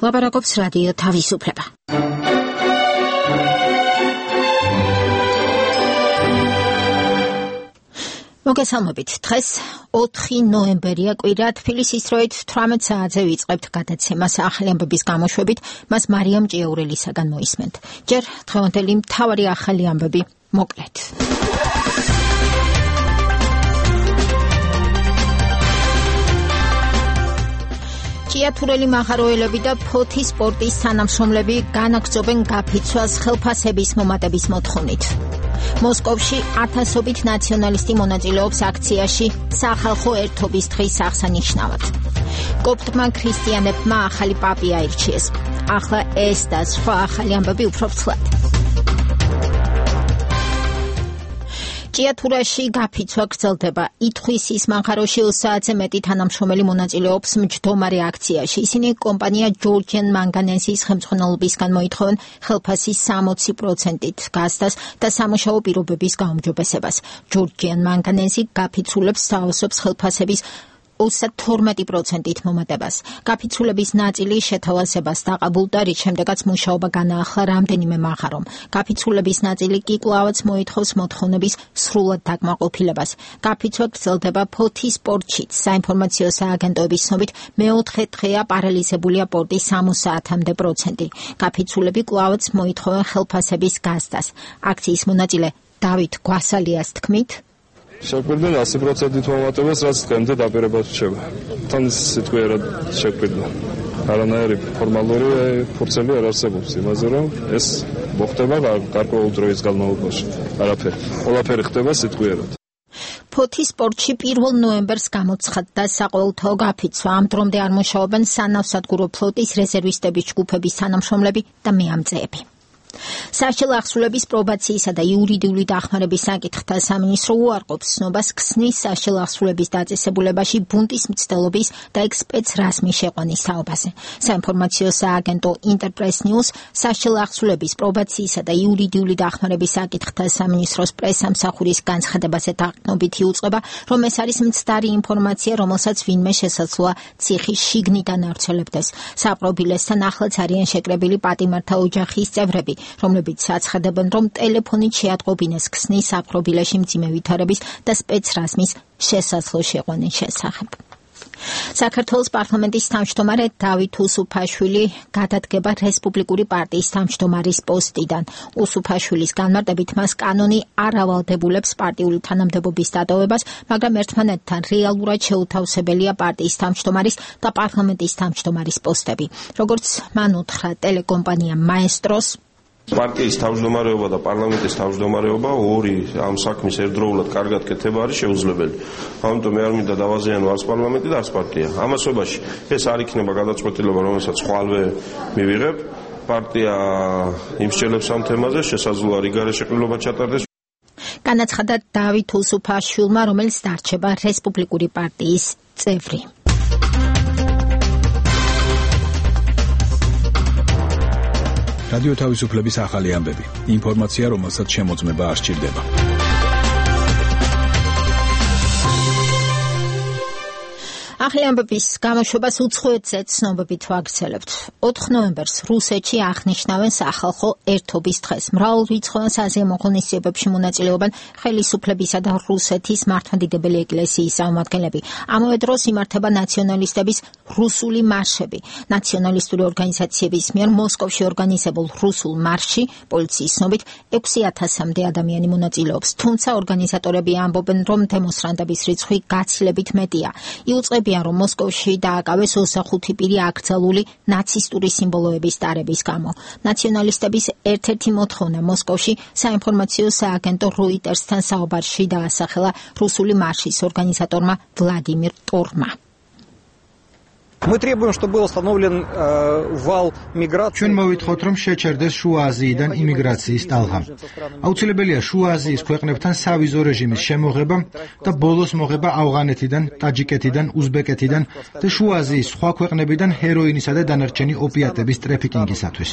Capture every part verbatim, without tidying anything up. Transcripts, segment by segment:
ლაპარაკობს რადიო თავისუფლება. მოგესალმებით. დღეს ოთხი ნოემბერია კვირა, თბილისის დროით თვრამეტ საათზე ვიწყებთ გადაცემას ახალი ამბების გამოშვებით, მას მარიამ ჭიაურელისაგან მოისმენთ. ჯერ დღევანდელი მთავარი ახალი ამბები მოკლედ. ჭიათურელი მაღაროელები და ფოთის სპორტის თანამშრომლები განაგრძობენ გაფიცვას ხელფასების მომატების მოთხოვნით. მოსკოვში ათასობით ნაციონალისტი მონაწილეობს აქციაში სახალხო ერთობის დღის აღსანიშნავად. კოპტმა ქრისტიანებმა ახალი პაპი აირჩიეს. ახლა ეს და სხვა ახალი ამბები უფრო ფრთლად. ჭიათურაში გაფიცვა გრძელდება. ითხვისის მაღაროში ოცი საათზე მეტი თანამშრომელი მონაწილეობს მჯდომარე აქციაში. ისინი კომპანია ჯორჯიან მანგანეზის ხელმძღვანელობისგან მოითხოვენ ხელფასის სამოცი პროცენტით გასცდას და სამუშაო პირობების გაუმჯობესებას. ჯორჯიან მანგანეზი გაფიცულებს სთავაზობს ხელფასების ოცდათორმეტი პროცენტით მომატებას. გაფიცულების ნაწილი შეთავაზებას დაყაბულდა, რის შემდეგაც მუშაობა განაახლა რამდენიმე მაღარომ. გაფიცულების ნაწილი კი კვლავაც მოითხოვს მოთხოვნების სრულად დაკმაყოფილებას. გაფიცვა გრძელდება ფოთის სპორტშიც. საინფორმაციო სააგენტოების ცნობით მეოთხე დღეა პარალიზებულია პორტის სამოცი საათამდე პროცენტი. გაფიცულები კვლავაც მოითხოვენ ხელფასების გასცდას. აქციის მონაწილე დავით გვასალიას თქმით, შეგვიძლია ასი პროცენტით მომატებას, რაც დღემდე დაპირებად რჩება. თან სიტყვიერად შეგვიძლია. არანაირი ფორმალური ფურცელი არ არსებობს იმაზე, რომ ეს მოხდება გარკვეულ დროის განმავლობაში. არაფერი. ყველაფერი ხდება სიტყვიერად. ფოთის სპორტში პირველ ნოემბერს გამოცხადდა საყოველთაო გაფიცვა. ამ დრომდე არ მუშაობენ სანავსადგურო ფლოტის რეზერვისტების ჯგუფების თანამშრომლები და მეამწეები. სასჯელ ახსრულების პრობაციისა და იურიდიული დახმარების საკითხთა სამინისტრო უარყოფს ცნობას ქსნის სასჯელ ახსრულების დაწესებულებაში ბუნტის მცდელობის და ექსპეცრასმის შეყვანის თაობაზე. საინფორმაციო სააგენტო ინტერპრეს ნიუს სასჯელ ახსრულების პრობაციისა და იურიდიული დახმარების საკითხთა სამინისტროს პრესამსახურის განცხადებაზე დაყრდნობითი უწყება, რომ ეს არის მცდარი ინფორმაცია, რომელსაც ვინმე შესაძლოა ციხის შიგნიდან ავრცელებდეს. საპრობილესთან ახლაც არიან შეკრებილი პატიმართა ოჯახის წევრები, რომლებიც აცხადებენ, რომ ტელეფონით შეატყობინეს ქსნის საპრობილეში მძიმე ვითარების და სპეცრასმის შესაძლო შეყვანის შესახებ. საქართველოს პარლამენტის თავმჯდომარე დავით უსუფაშვილი გადადგება რესპუბლიკური პარტიის თავმჯდომარის პოსტიდან. უსუფაშვილის განმარტებით მას კანონი არ ავალდებულებს პარტიული თანამდებობის დატოვებას, მაგრამ ერთმანეთთან რეალურად შეუთავსებელია პარტიის თავმჯდომარის და პარლამენტის თავმჯდომარის პოსტები. როგორც მან უთხრა ტელეკომპანია მაესტროს, პარტიის თავმჯდომარეობა და პარლამენტის თავმჯდომარეობა ორი ამ საქმის ერთდროულად კარგად კეთება არის შეუძლებელი. ამიტომ მე არ მინდა დავაზიანო არც პარლამენტი და არც პარტია. ამასობაში ეს არ იქნება გადაწყვეტილება, რომელსაც ხვალვე მივიღებ. პარტია იმსჯელებს ამ თემაზე, შესაძლოა რიგარე შეყრილობა ჩატარდეს. განაცხადა დავით უსუფაშვილმა, რომელიც დარჩება რესპუბლიკური პარტიის წევრი. რადიო თავისუფლების ახალი ამბები. ინფორმაცია, რომელსაც შემოწმება არ სჭირდება. ახალი ამბების გამოშვებას უცხოეთზე ცნობებით ვაგრძელებთ. ოთხ ნოემბერს რუსეთში აღნიშნავენ სახალხო ერთობის დღეს. მრავალრიცხოვან საზეიმო ღონისძიებებში მონაწილეობენ ხელისუფლებისა და რუსეთის მართლმადიდებელი ეკლესიის წარმომადგენლები. ამავე დროს იმართება ნაციონალისტების რუსული მარშები. ნაციონალისტური ორგანიზაციების მიერ მოსკოვში ორგანიზებულ რუსულ მარშში პოლიციის ცნობით ექვსი ათასამდე ადამიანი მონაწილეობს. თუმცა ორგანიზატორები ამბობენ, რომ დემონსტრანტების რიცხვი გაცილებით მეტია. იუწყებიან, რომ მოსკოვში დააკავეს ოცდახუთი პირი აკრძალული ნაცისტური სიმბოლოების ტარების გამო. ნაციონალისტების ერთ-ერთი მოთხოვნა მოსკოვში საინფორმაციო სააგენტო როიტერსთან საუბარში დაასახელა რუსული მარშის ორგანიზატორმა ვლადიმირ ტორმა. Мы требуем, чтобы был установлен вал миграции. ჩვენ მოვითხოვთ, რომ შეჩერდეს შუა აზიიდან იმიგრაციის ტალღა. აუცილებელია შუა აზიის ქვეყნებთან სავიზო რეჟიმის შემოღება და ბოლოს მოღება ავღანეთიდან, ტაჯიკეთიდან, უზბეკეთიდან და შუა აზიის სხვა ქვეყნებიდან ჰეროინისა და დანარჩენი ოპიატების ტრაფიკინგისათვის.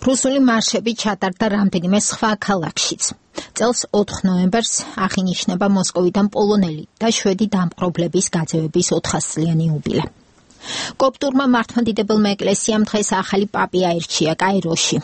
რუსული მარშები ჩატარდა რამდენიმე სხვა ქალაქშიც. წელს ოთხ ნოემბერს აღინიშნება მოსკოვიდან პოლონელი და შვედი დამპყრობლების გაძევების ოთხასწლიანი იუბილე. კოპტურმა მართლმადიდებელმა ეკლესიამ დღეს ახალი პაპი აირჩია კაიროში.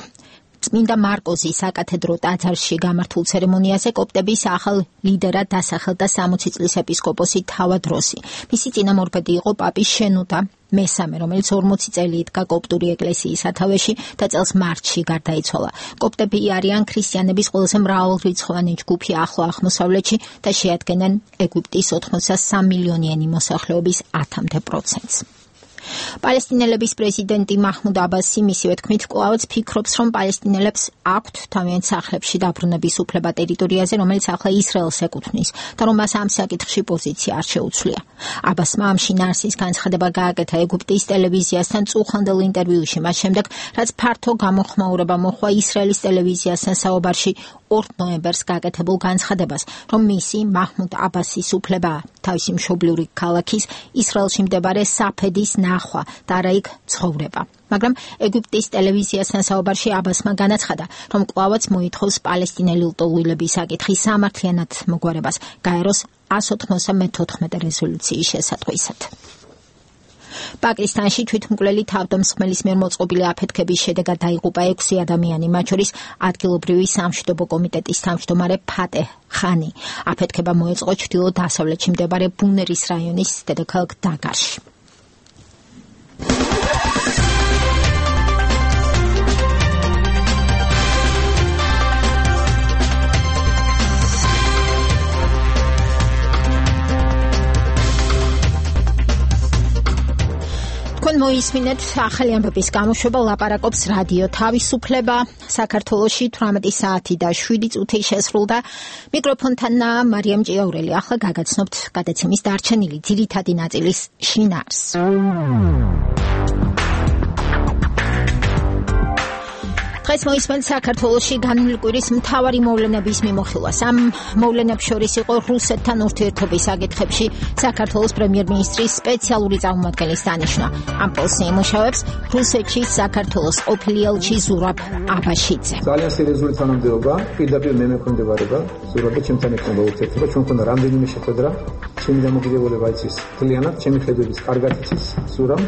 წმინდა მარკოზი საკათედრო ტაძარში გამართულ ცერემონიაზე კოპტების ახალ ლიდერად დასახელდა სამოცი წლის ეპისკოპოსი თავადროსი. მისი წინამორბედი იყო პაპი შენუდა მესამე, რომელიც ორმოცი წელი იდგა კოპტური ეკლესიის სათავეში და წელს მარტში გარდაიცვალა. კოპტები არიან ქრისტიანების ყველაზე მრავალრიცხოვანი ჯგუფი ახლო აღმოსავლეთში და შეადგენენ ეგვიპტის ოთხმოცდასამ მილიონიანი მოსახლეობის ათამდე პროცენტს. პალესტინელების პრეზიდენტი მაჰმუდ აბასი მისივე თქმით კვლავაც ფიქრობს, რომ პალესტინელებს აქვთ თავიანთ სახლებში დაბრუნების უფლება ტერიტორიაზე, რომელიც ახლა ისრაელს ეკუთვნის და რომ მას ამ საკითხში პოზიცია არ შეუცვლია. აბასმა ამ შინაარსის განცხადება გააკეთა ეგვიპტის ტელევიზიასთან წუხანდელ ინტერვიუში, მას შემდეგ, რაც ფართო გამოხმაურება მოჰყვა ისრაელის ტელევიზიასთან საუბარში ორ ნოემბერს გაკეთებულ განცხადებას, რომ მისი მაჰმუდ აბასის უფლებაა თავისი მშობლიური ქალაქის ისრაელში მდებარე საფედის ნახვა და არა იქ ცხოვრება. მაგრამ ეგვიპტის ტელევიზიასთან საუბარში აბასმა განაცხადა, რომ კვლავაც მოითხოვს პალესტინელი ლტოლვილების საკითხის სამართლიანად მოგვარებას გაეროს ას ოთხმოცდამეთოთხმეტე რეზოლუციის შესატყვისად. პაკისტანში თვითმკვლელი თავდამსხმელის მიერ მოწყობილი აფეთქების შედეგად დაიღუპა ექვსი ადამიანი, მათ შორის ადგილობრივი სამშვიდობო კომიტეტის თავმჯდომარე ფატეჰ ხანი. აფეთქება მოეწყო ჩრდილო-დასავლეთში მდებარე ბუნერის რაიონის დედაქალაქ დაგარში. თქვენ მოისმინეთ ახალი ამბების გამოშვება ლაპარაკობს რადიო თავისუფლება. საქართველოში თვრამეტი საათი და შვიდი წუთი შესრულდა. მიკროფონთან მარიამ ჭიაურელი. ახლა გაგაცნობთ გადაცემის დარჩენილი ძირითადი ნაწილის შინაარსს. დღეს მოისმენთ საქართველოში განვლილი კვირის მთავარი მოვლენების მიმოხილვას. ამ მოვლენებს შორის იყო რუსეთთან ურთიერთობის საკითხებში საქართველოს პრემიერ-მინისტრის სპეციალური წარმომადგენლის დანიშვნა. ამ პოსტს იმუშავებს რუსეთში საქართველოს ყოფილი ელჩი ზურაბ აბაშიძე. ძალიან სერიოზული თანამდებობა, პირდაპირ მე მექვემდებარება, ზურაბი ჩემთან ექნება ურთიერთობა, ჩვენ მქონდა რამდენიმე შეხვედრა, ჩემი დამოკიდებულება იცის მთლიანად, ჩემი ხედვების კარგად იცის ზურაბ.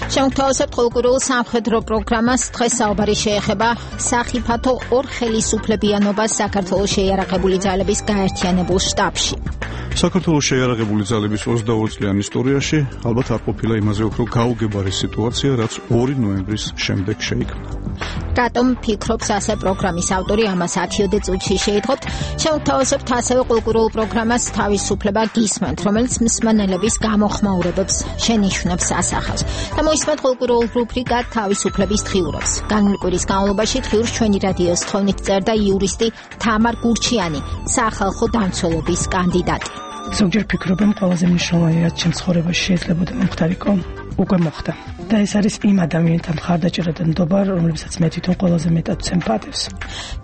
შემოგთავაზებთ ყოველკვირეულ სამხედრო პროგრამას. დღეს საუბარი შეეხება სახიფათო ორ ხელისუფლებიანობას საქართველოს შეიარაღებული ძალების გაერთიანებულ შტაბში. საქართველოს შეიარაღებული ძალების ოცდაორი წლიან ისტორიაში ალბათ არ ყოფილა იმაზე უფრო გაუგებარი სიტუაცია, რაც ორი ნოემბრის შემდეგ შეიქმნა. რატომ ფიქრობს ასე პროგრამის ავტორი, ამას ათიოდე წუთში შეითხოვთ. შემოგთავაზებთ ასევე ყოველკვირეულ პროგრამას თავისუფლება გისმენთ, რომელიც მსმენელების გამოხმაურებებს შენიშვნებს ასახავს. და მოისმენთ ყოველკვირეულ რუბრიკა თავისუფლების დღიურობს. განვლილი კვირის განმავლობაში დღიურს ჩვენი რადიოს თხოვნით წერდა იურისტი თამარ გურჩიანი, სახალხო დამცველობის კანდიდატი. ზოგჯერ ფიქრობენ ყველაზე მნიშვნელოვანი რაც ჩემ ცხოვრებაში შეიძლება მომხდარიყო, უკვე მოხდა. და ეს არის იმ ადამიანთა მხარდაჭერა და ნდობა, რომლებსაც მე თვითონ ყველაზე მეტად ვცემპატევს.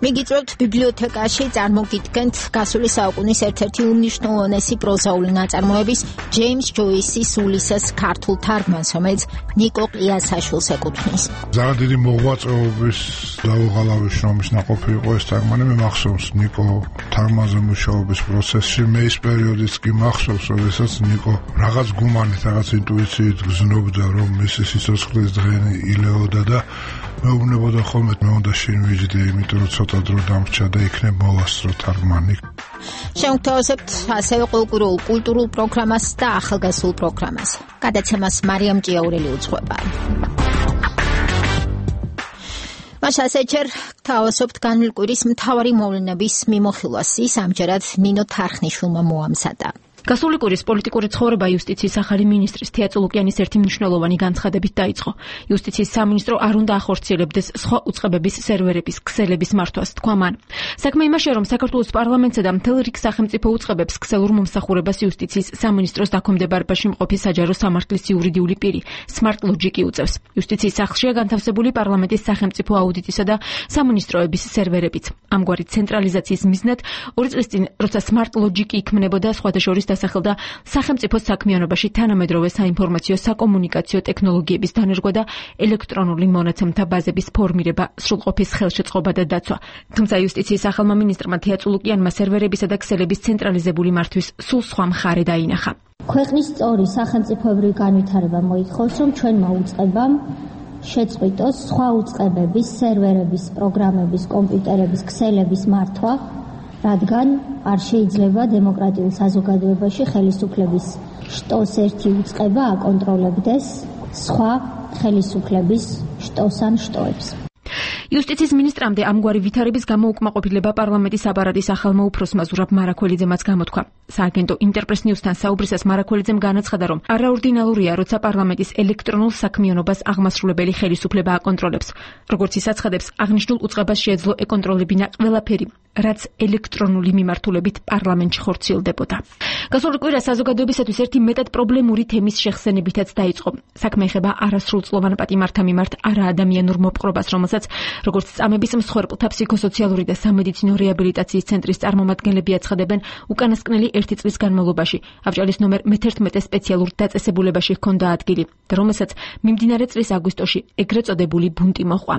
მიგიწევთ ბიბლიოთეკაში წარმოგიდგენთ გასული საუკუნის ერთ-ერთი უმნიშვნელოვანესი პროზაული ნაწარმოების ჯეიმს ჯოისის ულისეს ქართულ თარგმანს, რომელიც ნიკო ყიასაშვილს ეკუთვნის. ძალიან დიდი მოღვაწეობის დაუღალავი შრომის ნაყოფი იყო ეს თარგმანი. მე მახსოვს ნიკო თარგმანზე მუშაობის პროცესში, მე ის პერიოდიც კი მახსოვს, როდესაც ნიკო რაღაც გუმანით, რაღაც ინტუიციით გზნობდა, რომ მისი სიცოცხლის დღენი ილეოდა და მეუბნებოდა ხოლმე მე უნდა შინვიჯდე, იმიტომ რომ ცოტა დრო დამრჩა და იქნებ მოვასწრო თარგმანი. შემოგთავაზებთ ასევე ყოველკვირეულ კულტურულ პროგრამას და ახალგაზრდულ პროგრამას. გადაცემას მარიამ ჭიაურელი უძღვება. მაშას ეჩერ თავისუფლ განვლილი კვირის მთავარი მოვლენების მიმოხილვას ის ამჯერად ნინო თარხნიშვილმა მოამზადა. გასული კვირის პოლიტიკური ცხოვრება იუსტიციის ახალი მინისტრის თეატრო ლუკიანის ერთი მნიშვნელოვანი განცხადებით დაიწყო. იუსტიციის სამინისტრო არ უნდა ახორციელებდეს სხვა უწყებების სერვერების ქსელების მართვას, თქვა მან. საქმე იმაშია, რომ საქართველოს პარლამენტსა და მთელ რიგ სახელმწიფო უწყებებს ქსელურ მომსახურებას იუსტიციის სამინისტროს დაქვემდებარებაში მყოფი საჯარო სამართლის იურიდიული პირი Smart Logic უწევს. იუსტიციის სახლშია განთავსებული პარლამენტის სახელმწიფო აუდიტისა და სამინისტროების სერვერებიც. ამგვარი ცენტრალიზაციის მიზნად ორი წლის წინ, როცა Smart Logic იქმნებოდა, სხვადასხვა დასახელდა სახელმწიფო საქმიანობაში თანამედროვე საინფორმაციო საკომუნიკაციო ტექნოლოგიების დანერგვა და ელექტრონული მონაცემთა ბაზების ფორმირება, სრულყოფის ხელშეწყობა და დაცვა. თუმცა იუსტიციის ახალმა მინისტრმა თეატრო ლუკიანმა სერვერებისა და ქსელების ცენტრალიზებული მართვის სულ სხვა მხარე დაინახა. ქვეყნის სწორი სახელმწიფოებრივი განვითარება მოითხოვს, რომ ჩვენმა უწყებამ შეწყვიტოს სხვა უწყებების, სერვერების, პროგრამების, კომპიუტერების, ქსელების მართვა, რადგან არ შეიძლება დემოკრატიულ საზოგადოებაში ხელისუფლების შტოს ერთი უწყება აკონტროლებდეს სხვა ხელისუფლების შტოს ან შტოებს. იუსტიციის მინისტრამდე ამგვარი ვითარების გამო უკმაყოფილება პარლამენტის აპარატის ახალმა უფროსმა ზურაბ მარაქველიძემაც გამოთქვა. სააგენტო ინტერპრეს ნიუსთან საუბრისას მარაქველიძემ განაცხადა, რომ არაორდინალურია, როცა პარლამენტის ელექტრონულ საქმიანობას აღმასრულებელი ხელისუფლება აკონტროლებს. როგორც ის აცხადებს, აღნიშნულ უწყებას შეეძლო ეკონტროლებინა ყველაფერი, რაც ელექტრონული მიმართულებით პარლამენტში ხორციელდებოდა. გასული კვირა საზოგადოებისათვის ერთი მეტად პრობლემური თემის შეხსენებითაც დაიწყო. საქმე ეხება არასრულწლოვან პატიმართა მიმართ არაადამიანურ მოპყრობას, რომელსაც როგორც წამების მსხვერპლთა ფსიქოსოციალური და სამედიცინო რეაბილიტაციის ცენტრის წარმომადგენლები აცხადებენ, უკანასკნელი ერთი წლის განმავლობაში ავჭალის ნომერ მეთერთმეტე სპეციალურ დაწესებულებაში ჰქონდა ადგილი, და რომელსაც მიმდინარე წლის აგვისტოში ეგრეთ წოდებული ბუნტი მოჰყვა.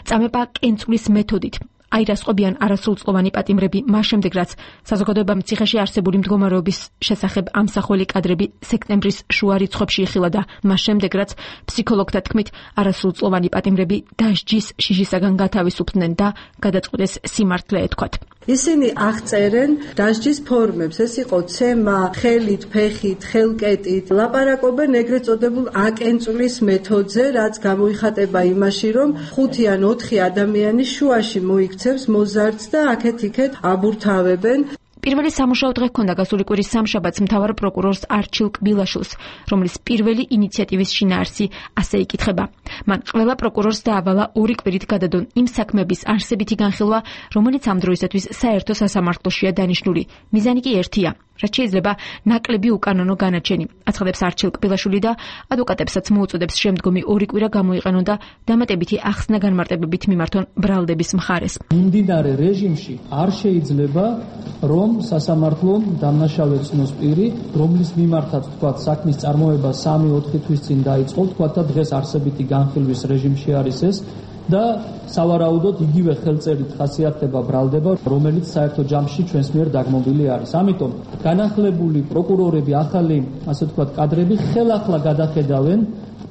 წამება კენწვლის მეთოდით აირასყობიან არასრულწლოვანი პატიმრები მას შემდეგ, რაც საზოგადოებამ ციხეში არსებული მდგომარეობის შესახებ ამსახველი კადრები სექტემბრის შუა რიცხვებში იხილა და მას შემდეგ, რაც ფსიქოლოგთა თქმით არასრულწლოვანი პატიმრები დასჯის შიშისაგან გათავისუფლდნენ და გადაწყვეტეს სიმართლე ეთქვათ. ისინი აღწერენ დასჯის ფორმებს, ეს იყო ცემა, ხელით, ფეხით, ხელკეტით, ლაპარაკობენ ეგრეთ წოდებულ აკენწვლის მეთოდზე, რაც გამოიხატება იმაში, რომ ხუთი ან ოთხი ადამიანი შუაში მოიქცევს მოზარდს და აქეთ-იქეთ აბურთავებენ. პირველი სამუშაო დღე ჰქონდა გასული კვირის სამშაბათს მთავარ პროკურორს არჩილ კბილაშვილს, რომლის პირველი ინიციატივის შინაარსი ასე იკითხება. მან ყველა პროკურორს დაავალა ორი კვირით გადადონ იმ საქმების არსებითი განხილვა, რომელიც ამ დროისათვის საერთო სასამართლოშია დანიშნული. მიზანი კი ერთია, რაც შეიძლება ნაკლები უკანონო განაჩენი, აცხადებს არჩილ კბილაშვილი და ადვოკატებსაც მოუწოდებს შემდგომი ორი კვირა გამოიყენონ და დამატებითი ახსნა განმარტებებით მიმართონ ბრალდების მხარეს. მიმდინარე რეჟიმში არ შეიძლება, რომ სასამართლომ დამნაშავე ცნოს პირი, რომლის მიმართაც თქვა საქმის წარმოება სამი ოთხი თვის წინ დაიწყო, თქვა და დღეს არსებითი განხილვის რეჟიმში არის ეს და სავარაუდოდ იგივე ხელწერით ხასიათდება ბრალდება, რომელიც საერთო ჯამში ჩვენს მიერ დაგმობილი არის. ამიტომ განახლებული პროკურორები, ახალი, ასე ვთქვათ, კადრები ხელახლა გადახედავენ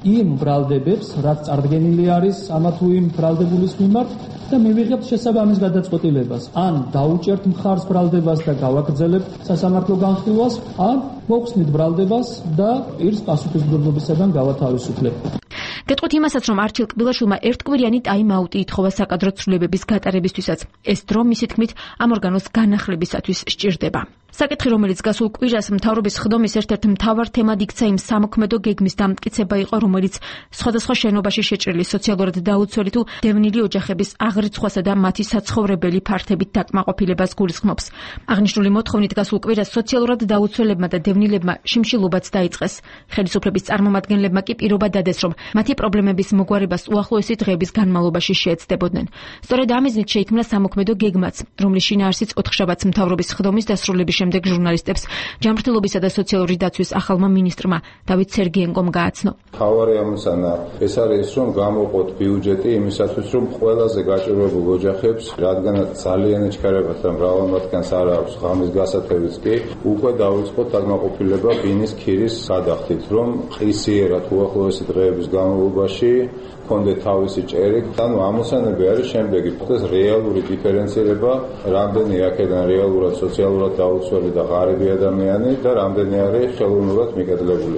იმ ბრალდებებს, რაც წარდგენილი არის ამა თუ იმ ბრალდებულის მიმართ და მივიღებთ შესაბამის გადაწყვეტილებას. ან დაუჭერთ მხარს ბრალდებას და გავაგრძელებთ სასამართლო განხილვას, ან მოვხსნით ბრალდებას და პირს პასუხისმგებლობისაგან გავათავისუფლებთ. გეტყვით იმასაც, რომ არჩილ კბილაშვილმა ერთკვირიანი ტაიმ-აუტი ითხოვა საკადრო ცვლილებების გატარებისთვისაც. ეს დრო მისი თქმით ამ ორგანოს განახლებისათვის სჭირდება. საკითხი, რომელიც გასულ კვირას მთავრობის ხდომის ერთ-ერთ მთავარ თემად იქცა, იმ სამოქმედო გეგმის დამტკიცება იყო, რომელიც სხვადასხვა შენობაში შეჭრილი სოციალურად დაუცველი თუ დევნილი ოჯახების აღრიცხვასა და მათი საცხოვრებელი ფართებით დაკმაყოფილებას გულისხმობს. აღნიშნული მოთხოვნით გასულ კვირას სოციალურად დაუცველებმა და დევნილებმა შიმშილობაც დაიწყეს. ხელისუფლების წარმომადგენლებმა კი პირობა დადეს, რომ მათი პრობლემების მოგვარებას უახლოესი დღეების განმავლობაში შეეცდებოდნენ. სწორედ ამ მიზნით შეიქმნა სამოქმედო გეგმაც, რომლის შინაარსიც ოთხშაბათს მთავრობის ხდომის დასრულების შემდეგ ჟურნალისტებს ჯანმრთელობისა და სოციალური დაცვის ახალმა მინისტრმა დავით სერგიენკომ გააცნო. მთავარი ამოცანა ეს არის, რომ გამოყოთ ბიუჯეტი იმისათვის, რომ ყველაზე გაჭირვებულ ოჯახებს, რადგანაც ძალიან ეჩქარებათ და მრავალ მათგანს არ აქვს ღამის გასათევიც კი, უკვე დავიწყოთ დაკმაყოფილება ბინის ქირის გადახდით, რომ ყისიერად უახლოესი დღეების განმავლობაში კონდეთ თავისი ჭერი. ანუ ამოცანები არის შემდეგი: ეს რეალური დიფერენცირება, რამდენი აქედან რეალურად სოციალურად დაუცველი და ღარიბი ადამიანი და რამდენი არის ხელოვნურად მიკედლებული.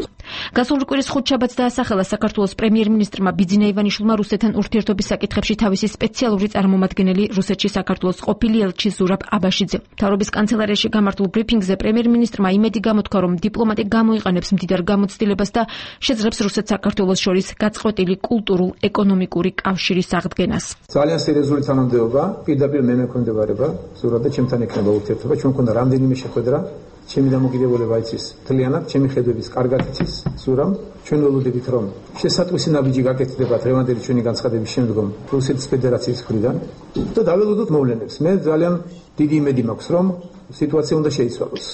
გასული კვირის ხუთშაბათს დაასახელა საქართველოს პრემიერ-მინისტრმა ბიძინა ივანიშვილმა რუსეთთან ურთიერთობის საკითხებში თავისი სპეციალური წარმომადგენელი რუსეთში საქართველოს ყოფილი ელჩი ზურაბ აბაშიძე. მთავრობის კანცელარიაში გამართულ ბრიფინგზე პრემიერ-მინისტრმა იმედი გამოთქვა, რომ დიპლომატი გამოიყენებს მდიდარ გამოცდილებას და შეძლებს რუსეთ-საქართველოს შორის გაწყვეტილი კულტურულ-ეკონომიკური კავშირის აღდგენას. ძალიან სერიოზული თანამდებობა, პირდაპირ მე მექვემდებარება, ზურაბ და ჩემთან ექნება ურთიერთობა, ჩვენ მქონდა რამდენიმე შეხვედრა. ჩემი დამოკიდებულება იცის მთლიანად, ჩემი ხედვების კარგად იცის ზურამ. ჩვენ ველოდებით, რომ შესატყვისი ნაბიჯი გაკეთდება დღევანდელი ჩვენი განცხადების შემდგომ რუსეთის ფედერაციის მხრიდან და დაველოდოთ მოვლენებს. მე ძალიან დიდი იმედი მაქვს, რომ სიტუაცია უნდა შეიცვალოს.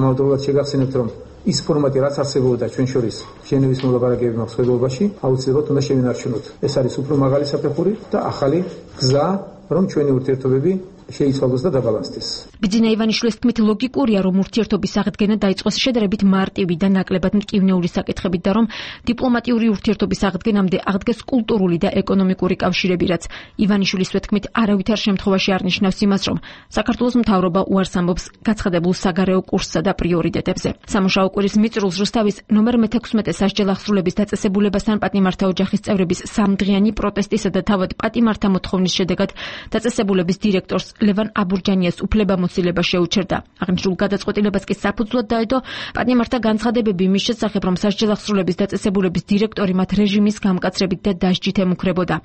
ამავდროულად შეგახსენებთ, რომ ის ფორმატი, რაც არსებობდა ჩვენ შორის ჟენევის მოლაპარაკებების მსხვერპლობაში, აუცილებლად უნდა შევინარჩუნოთ. ეს არის უფრო მაღალი საფეხური და ახალი გზა, რომ ჩვენი ურთიერთობები შეიცვალოს და დაბალანსდეს. ბიძინა ივანიშვილის თქმით, ლოგიკურია, რომ ურთიერთობის აღდგენა დაიწყოს შედარებით მარტივი და ნაკლებად მტკივნეული საკითხებით და რომ დიპლომატიური ურთიერთობის აღდგენამდე აღდგეს კულტურული და ეკონომიკური კავშირები, რაც ივანიშვილის თქმით არავითარ შემთხვევაში არ ნიშნავს იმას, რომ საქართველოს მთავრობა უარს ამბობს გაცხადებულ საგარეო კურსსა და პრიორიტეტებზე. სამუშაო კვირის მიწრულს რუსთავის ნომერ მეთექვსმეტე სასჯელ ახსრულების დაწესებულებასთან პატიმართა ოჯახის წევრების სამდღიანი პროტესტისა და თავად პატიმართა მოთხოვნის შედეგად დაწესებულების დირექტორს ლევან აბურჯანიას უფლებამოსილება შეუჩერდა. აღნიშნულ გადაწყვეტილებას კი საფუძვლად დაედო პატიმართა განცხადებები მის შესახებ, რომ სასჯელ ახსრულების დაწესებულების დირექტორი მათ რეჟიმის გამკაცრებით და დასჯით ემუქრებოდა.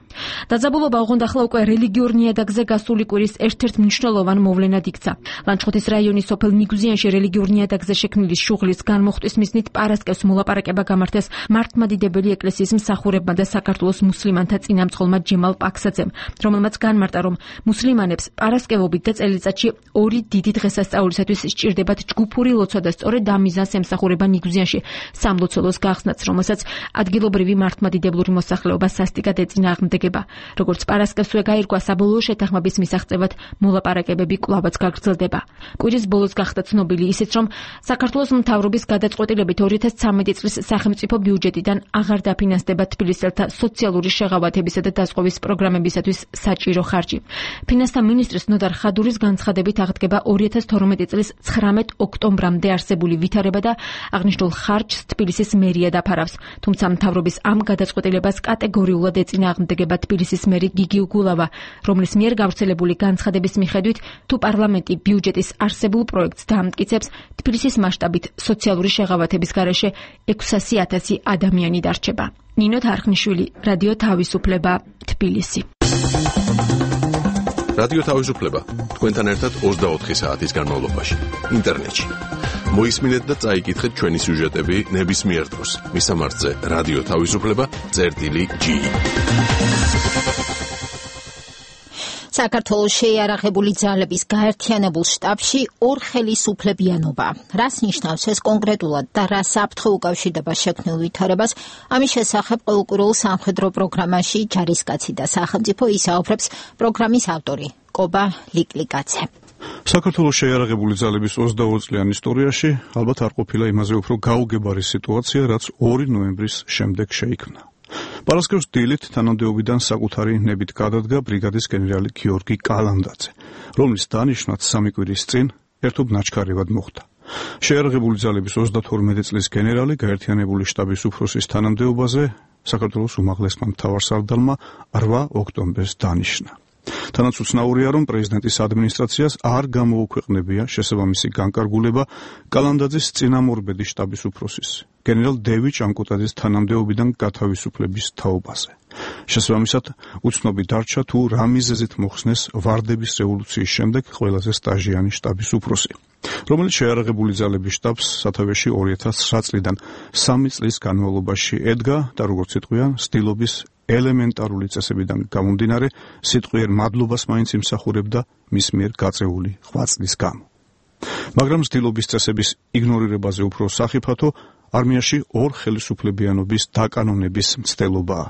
დაძაბულობა ოღონდ ახლა უკვე რელიგიურ ნიადაგზე გასული კვირის ერთ-ერთ მნიშვნელოვან მოვლენად იქცა. ლანჩხუთის რაიონის სოფელ ნიგუზიანში რელიგიურ ნიადაგზე შექმნილი შუღლის განმოხტვის მიზნით პარასკევს მოლაპარაკება გამართეს მართლმადიდებელი ეკლესიის მსახურებმა და საქართველოს მუსლიმანთა წინამძღოლმა ჯემალ პაქსაძემ, რომელმაც განმარტა, რომ მუსლიმანებს პარასკევობით და წელიწადში ორი დიდი დღესასწაულისათვის სჭირდებათ ჯგუფური ლოცვა და სწორედ ამ მიზანს ემსახურება ნიგუზიანში სამლოცველოს გახსნაც, რომელსაც ადგილობრივი მართლმადიდებლური მოსახლეობა სასტიკად ეწინააღმდეგება. როგორც პარასკევსვე გაირკვა, საბოლოო შეთანხმების მისაღწევად მოლაპარაკებები კვლავაც გაგრძელდება. კვირის ბოლოს გახდა ცნობილი ისიც, რომ საქართველოს მთავრობის გადაწყვეტილებით ორი ათას ცხრამეტი წლის სახელმწიფო ბიუჯეტიდან აღარ დაფინანსდება თბილისელთა სოციალური შეღავათებისა და დაზღვევის პროგრამებისათვის საჭირო ხარჯი. ფინანსთა მინისტრის ნოდარ ხადურის განცხადებით აღდგება ორი ათას თორმეტი წლის ცხრამეტ ოქტომბრამდე არსებული ვითარება და აღნიშნულ ხარჯს თბილისის მერია დაფარავს. თუმცა მთავრობის ამ გადაწყვეტილებას კატეგორიულად ეწინააღმდეგება თბილისის მერი გიგი უგულავა, რომლის მიერ გავრცელებული განცხადების მიხედვით, თუ პარლამენტი ბიუჯეტის არსებულ პროექტს დაამტკიცებს, თბილისის მასშტაბით სოციალური შეღავათების გარეშე ექვსასი ათასი ადამიანი დარჩება. ნინო თარხნიშვილი, რადიო თავისუფლება, თბილისი. რადიო თავისუფლება თქვენთან ერთად ოცდაოთხი საათის განმავლობაში ინტერნეტში. მოისმინეთ და წაიკითხეთ ჩვენი სიუჟეტები ნებისმიერ დროს. მისამართზე რადიო თავისუფლება წერტილი ჯი. საქართველოს შეიარაღებული ძალების გაერთიანებულ შტაბში ორ ხელისუფლებიანობა. რას ნიშნავს ეს კონკრეტულად და რა საფრთხე უკავშირდება შექმნილ ვითარებას? ამის შესახებ ყოველკვირეულ სამხედრო პროგრამაში ჯარისკაცი და სახელმწიფო ისაუბრებს პროგრამის ავტორი კობა ლიკლიკაძე. საქართველოს შეიარაღებული ძალების ოცდაორი წლიან ისტორიაში ალბათ არ ყოფილა იმაზე უფრო გაუგებარი სიტუაცია, რაც ორი ნოემბრის შემდეგ შეიქმნა. პარასკევს დილით თანამდებობიდან საკუთარი ნებით გადადგა ბრიგადის გენერალი გიორგი კალანდაძე, რომლის დანიშვნაც სამი კვირის წინ ერთობ ნაჩქარევად მოხდა. შეიარაღებული ძალების ოცდათორმეტი წლის გენერალი გაერთიანებული შტაბის უფროსის თანამდებობაზე საქართველოს უმაღლესმა მთავარსარდალმა რვა ოქტომბერს დანიშნა. თანაც უცნაურია, რომ პრეზიდენტის ადმინისტრაციას არ გამოუქვეყნებია შესაბამისი განკარგულება კალანდაძის წინამორბედი შტაბის უფროსის გენერალ დევი ჭანკუტაძის თანამდებობიდან გათავისუფლების თაობაზე. შესაბამისად, უცნობი დარჩა თუ რა მიზეზით მოხსნეს ვარდების რევოლუციის შემდეგ ყველაზე სტაჟიანი შტაბის უფროსი, რომელიც შეიარაღებული ძალების შტაბს სათავეში ორი ათას ცხრა წლიდან სამი წლის განმავლობაში ედგა და როგორც იტყვიან, სტილობის ელემენტარული წესებიდან გამომდინარე, სიტყვიერ მადლობას მაინც იმსახურებდა მის მიერ გაწეული ღვაწლის გამო. მაგრამ სტილობის წესების იგნორირებაზე უფრო სახიფათო არმიაში ორ ხელისუფლებიანობის დაკანონების მცდელობაა.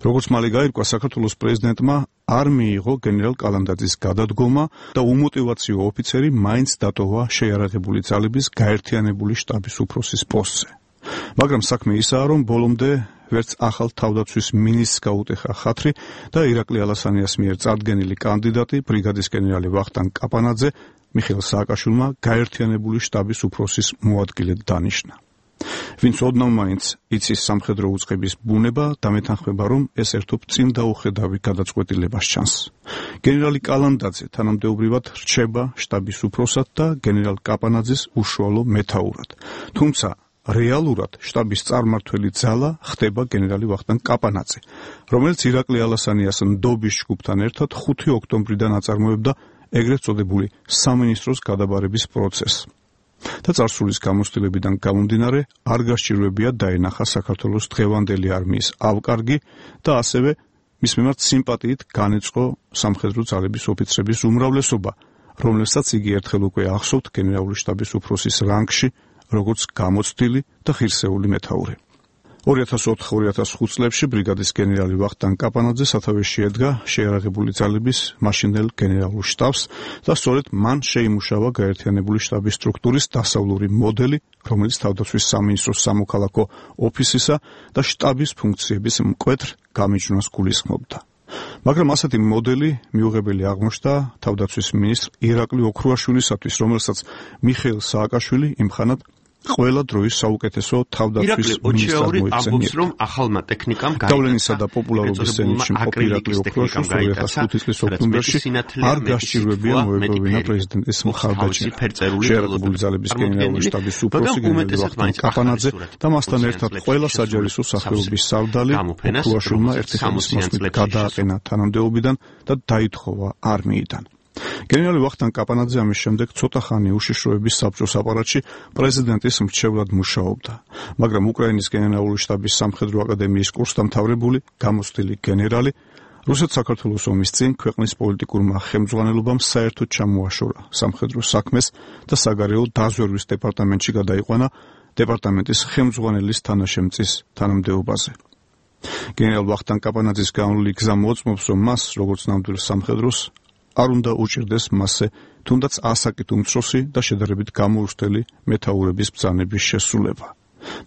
როგორც მალე გაირკვა, საქართველოს პრეზიდენტმა არ მიიღო გენერალ კალანდაძის გადადგომა და უმოტივაციო ოფიცერი მაინც დატოვა შეიარაღებული ძალების გაერთიანებული შტაბის უფროსის პოსტზე. მაგრამ საქმე ისაა, რომ ბოლომდე ვერც ახალ თავდაცვის მინისტრს გაუტეხა ხათრი და ირაკლი ალასანიას მიერ წარდგენილი კანდიდატი ბრიგადის გენერალი ვახტანგ კაპანაძე მიხეილ სააკაშვილმა გაერთიანებული შტაბის უფროსის მოადგილედ დანიშნა. ვინც ოდნავ მაინც იცის სამხედრო უწყების ბუნება, დამეთანხმება, რომ ეს ერთობ წინ დაუხედავი გადაწყვეტილებას ჩანს. გენერალი კალანდაძე თანამდებობრივად რჩება შტაბის უფროსად და გენერალ კაპანაძის უშუალო მეთაურად. თუმცა რეალურად შტაბის წარმმართველი ძალა ხდება გენერალი ვახტანგ კაპანაძე, რომელიც ირაკლი ალასანიას ნდობის ჯგუფთან ერთად ხუთი ოქტომბრიდან აწარმოებდა ეგრეთ წოდებული სამინისტროს გადაბარების პროცესს. და წარსულის გამოცდილებიდან გამომდინარე არ გასჭირვებია დაენახა საქართველოს დღევანდელი არმიის ავკარგი და ასევე მის მიმართ სიმპათიით განეწყო სამხედრო ძალების ოფიცრების უმრავლესობა, რომელსაც იგი ერთხელ უკვე ახსოვთ გენერალური შტაბის უფროსის რანგში, როგორც გამოცდილი და ღირსეული მეთაური. ორი ათას ოთხ ორი ათას ხუთ წლებში ბრიგადის გენერალი ვახტანგ კაპანაძე სათავეში ედგა შეიარაღებული ძალების მაშინდელ გენერალურ შტაბს და სწორედ მან შეიმუშავა გაერთიანებული შტაბის სტრუქტურის დასავლური მოდელი, რომელიც თავდაცვის სამინისტროს სამოქალაქო ოფისისა და შტაბის ფუნქციების მკვეთრ გამიჯვნას გულისხმობდა. მაგრამ ასეთი მოდელი მიუღებელი აღმოჩნდა თავდაცვის მინისტრ ირაკლი ოქრუაშვილისათვის, რომელსაც მიხეილ სააკაშვილი იმხანად ყველა დროის საუკეთესო თავდაცვის მინისტრად მოიხსენიებდა. რომ ახალმა ტექნიკამ გავლენისა და პოპულარობის ზენიტში მყოფი ირაკლი ოქრუაშვილს ორი ათას ხუთი წლის ოქტომბერში არ გასჭირვებია მოეპოვინა პრეზიდენტის მხარდაჭერა. შეიარაღებული ძალების გენერალური შტაბის უფროსი გენერალი ვახტანგ კაპანაძე და მასთან ერთად ყველა საჯარისო სახეობის სარდალი ოქრუაშვილმა ერთი ხელის მოსმით გადააყენა თანამდებობიდან და დაითხოვა არმიიდან. გენერალი ვახტანგ კაპანაძე ამის შემდეგ ცოტა ხანი უშიშროების საბჭოს აპარატში პრეზიდენტის მრჩევლად მუშაობდა, მაგრამ უკრაინის გენერალური შტაბის სამხედრო აკადემიის კურსდამთავრებული, გამოცდილი გენერალი რუსეთ-საქართველოს ომის წინ ქვეყნის პოლიტიკურმა ხელმძღვანელობამ საერთოდ ჩამოაშორა სამხედრო საქმეს და საგარეო დაზვერვის დეპარტამენტში გადაიყვანა დეპარტამენტის ხელმძღვანელის თანაშემწის თანამდებობაზე. გენერალ ვახტანგ კაპანაძის განვლილი გზა მოწმობს, რომ მას, როგორც ნამდვილ სამხედროს, არ უნდა უჭირდეს მასზე თუნდაც ასაკით უმცროსი და შედარებით გამოუცდელი მეთაურების ბრძანების შესრულება.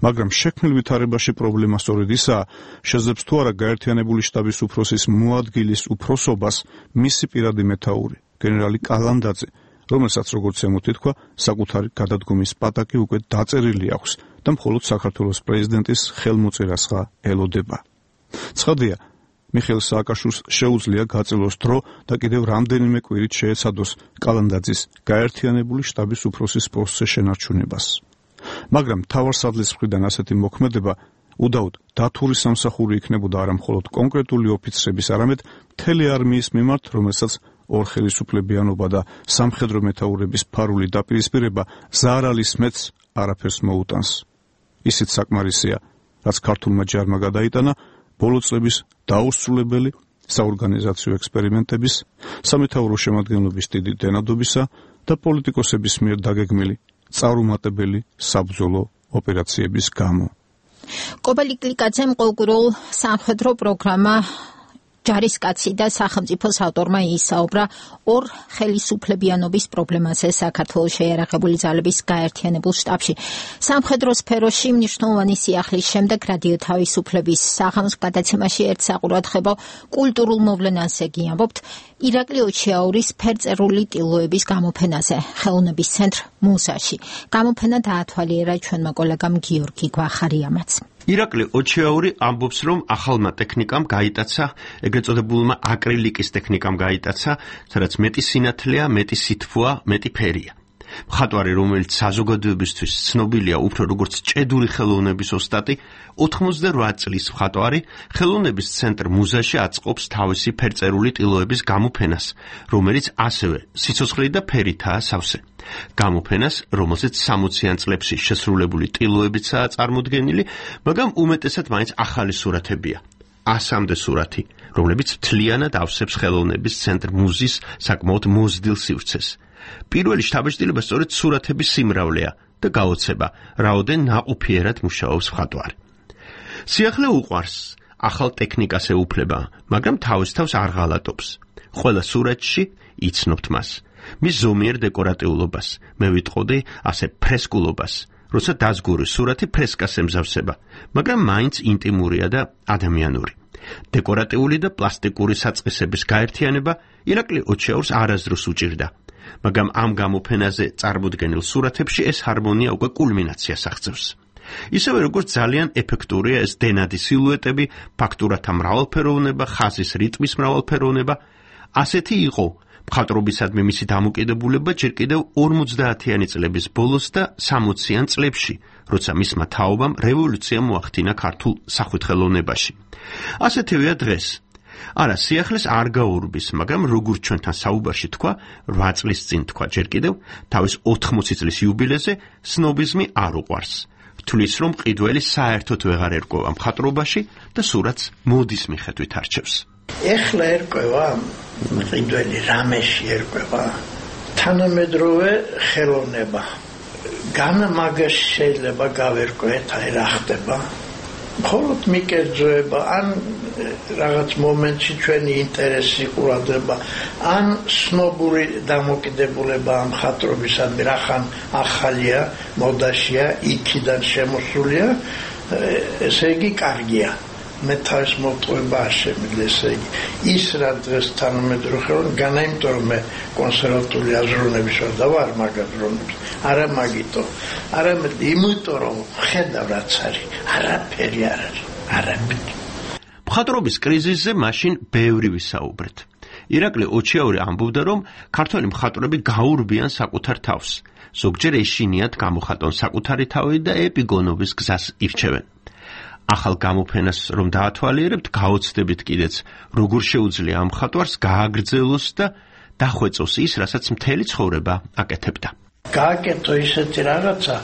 მაგრამ შექმნილ ვითარებაში პრობლემა სწორედ ისაა, შეძლებს თუ არა გაერთიანებული შტაბის უფროსის მოადგილის უფროსობას მისი პირადი მეთაური, გენერალი კალანდაძე, რომელსაც როგორც ემოთ ითქვა, საკუთარი გადადგომის პატაკი უკვე დაწერილი აქვს და მხოლოდ საქართველოს პრეზიდენტის ხელმოწერასღა ელოდება. ცხადია, მიხეილ სააკაშვილს შეუძლია გაწელოს დრო და კიდევ რამდენიმე კვირით შეეცადოს კალანდაძის გაერთიანებული შტაბის უფროსის პოსტზე შენარჩუნებას. მაგრამ მთავარსარდლის მხრიდან ასეთი მოქმედება უდაოდ დათური სამსახური იქნებოდა არა მხოლოდ კონკრეტული ოფიცრების, არამედ მთელი არმიის მიმართ, რომელსაც ორხელისუფლებიანობა და სამხედრო მეთაურების ფარული დაპირისპირება ზარალის მეც არაფერს მოუტანს. ისიც საკმარისია, რაც ქართულმა ჯარმა გადაიტანა ბოლო წლების დაუსრულებელი საორგანიზაციო ექსპერიმენტების, სამეთაურო შემადგენლობის დიდი დენადობისა და პოლიტიკოსების მიერ დაგეგმილი წარუმატებელი საბრძოლო ოპერაციების გამო. კობელი კლიკაძემ ყოველკვირეულ სამხედრო პროგრამა ჯარისკაცი და სახელმწიფოს ავტორმა ისაუბრა ორ ხელისუფლებიანობის პრობლემაზე საქართველოს შეიარაღებული ძალების გაერთიანებულ შტაბში. სამხედრო სფეროში მნიშვნელოვანი სიახლის შემდეგ რადიო თავისუფლების საღამოს გადაცემაში ერთსაყურადღებო კულტურულ მოვლენაზე გიამბობთ ირაკლი ოჩიაურის ფერწერული ტილოების გამოფენაზე ხელოვნების ცენტრ მუსაში. გამოფენა დაათვალიერა ჩვენმა კოლეგამ გიორგი გვახარიამაც. ირაკლი ოჩიაური ამბობს, რომ ახალმა ტექნიკამ გაიტაცა, ეგრეთ წოდებულმა აკრილიკის ტექნიკამ გაიტაცა, სადაც მეტი სინათლეა, მეტი სითბოა, მეტი ფერია. მხატვარი, რომელიც საზოგადოებისთვის ცნობილია უფრო როგორც ჭედური ხელოვნების ოსტატი, ოთხმოცდარვა წლის მხატვარი ხელოვნების ცენტრ მუზაში აწყობს თავისი ფერწერული ტილოების გამოფენას, რომელიც ასევე სიცოცხლე და ფერითაა სავსე. გამოფენას, რომელზეც სამოციან წლებში შესრულებული ტილოებიცაა წარმოდგენილი, მაგრამ უმეტესად მაინც ახალი სურათებია. ასამდე სურათი, რომლებიც მთლიანად ავსებს ხელოვნების ცენტრ მუზის საკმაოდ მოზრდილ სივრცეს. პირველი შთაბეჭდილება სწორედ სურათების სიმრავლეა და გაოცება, რაოდენ ნაყოფიერად მუშაობს მხატვარი. სიახლე უყვარს, ახალ ტექნიკას ეუფლება, მაგრამ თავის თავს არ ღალატობს. ყველა სურათში იცნობთ მას. მის ზომიერ დეკორატიულობას, მე ვიტყოდი ასე ფრესკულობას, როცა დაზგური სურათი ფრესკას ემზავსება, მაგრამ მაინც ინტიმურია და ადამიანური. დეკორატიული და პლასტიკური საწყისების გაერთიანება ირაკლი ოჩიაურს არასდროს უჭირდა, მაგრამ ამ გამოფენაზე წარმოდგენილ სურათებში ეს ჰარმონია უკვე კულმინაციას აღწევს. ისევე როგორც ძალიან ეფექტურია ეს დენადი სილუეტები, ფაქტურათა მრავალფეროვნება, ხაზის რიტმის მრავალფეროვნება, ასეთი იყო მხატვრობისადმი მისი დამოკიდებულება ჯერ კიდევ ორმოცდაათიანი წლების ბოლოს და სამოციან წლებში, როცა მისმა თაობამ რევოლუცია მოახდინა ქართულ სახვითხელოვნებაში. ასეთივეა დღეს. არა, სიახლეს არ გაურბის, მაგრამ როგორც ჩვენთან საუბარში თქვა, რვა წლის წინ თქვა ჯერ კიდევ, თავის ოთხმოცი წლის იუბილეზე სნობიზმი არ უყვარს. თulis რომ მყიდველი საერთოდ ვეღარ ერკვევა მხატვრობაში და სურათს მოდის მიხედვით არჩევს. ეხლა ერკვევა მყიდველი რამეში ერკვევა თანამედროვე ხელოვნება. განა მაგაში შეიძლება გავერკვეთ, აი რა ხდება. მხოლოდ მიკერძოება ან რაღაც მომენტში ჩვენი ინტერესი ყურადღება ან სნობური დამოკიდებულება ამ მხატვრობისადმი რახან ახალია მოდაშია იქიდან შემოსულია ესე იგი კარგია მე თავის მოტყუება არ შემიძლია ესე იგი ის რა დღეს თანამედროვე ხელოვნება განა იმიტომ რომ მე კონსერვატული აზროვნების ვარ და ვარ მაგ აზროვნების არა მაგიტო არამედ იმიტომ რომ ხედავ რაც არის არაფერი არ არის არაფერი მხატვრობის კრიზისზე მაშინ ბევრი ვისაუბრეთ ირაკლი ოჩიაური ამბობდა რომ ქართველი მხატვრები გაურბიან საკუთარ თავს ზოგჯერ ეშინიათ გამოხატონ საკუთარი თავი და ეპიგონობის გზას ირჩევენ ახალ გამოფენას რომ დაათვალიერებთ გაოცდებით კიდეც როგორ შეუძლია ამ მხატვარს გააგრძელოს და დახვეწოს ის რასაც მთელი ცხოვრება აკეთებდა გააკეთო ისეთი რაღაცა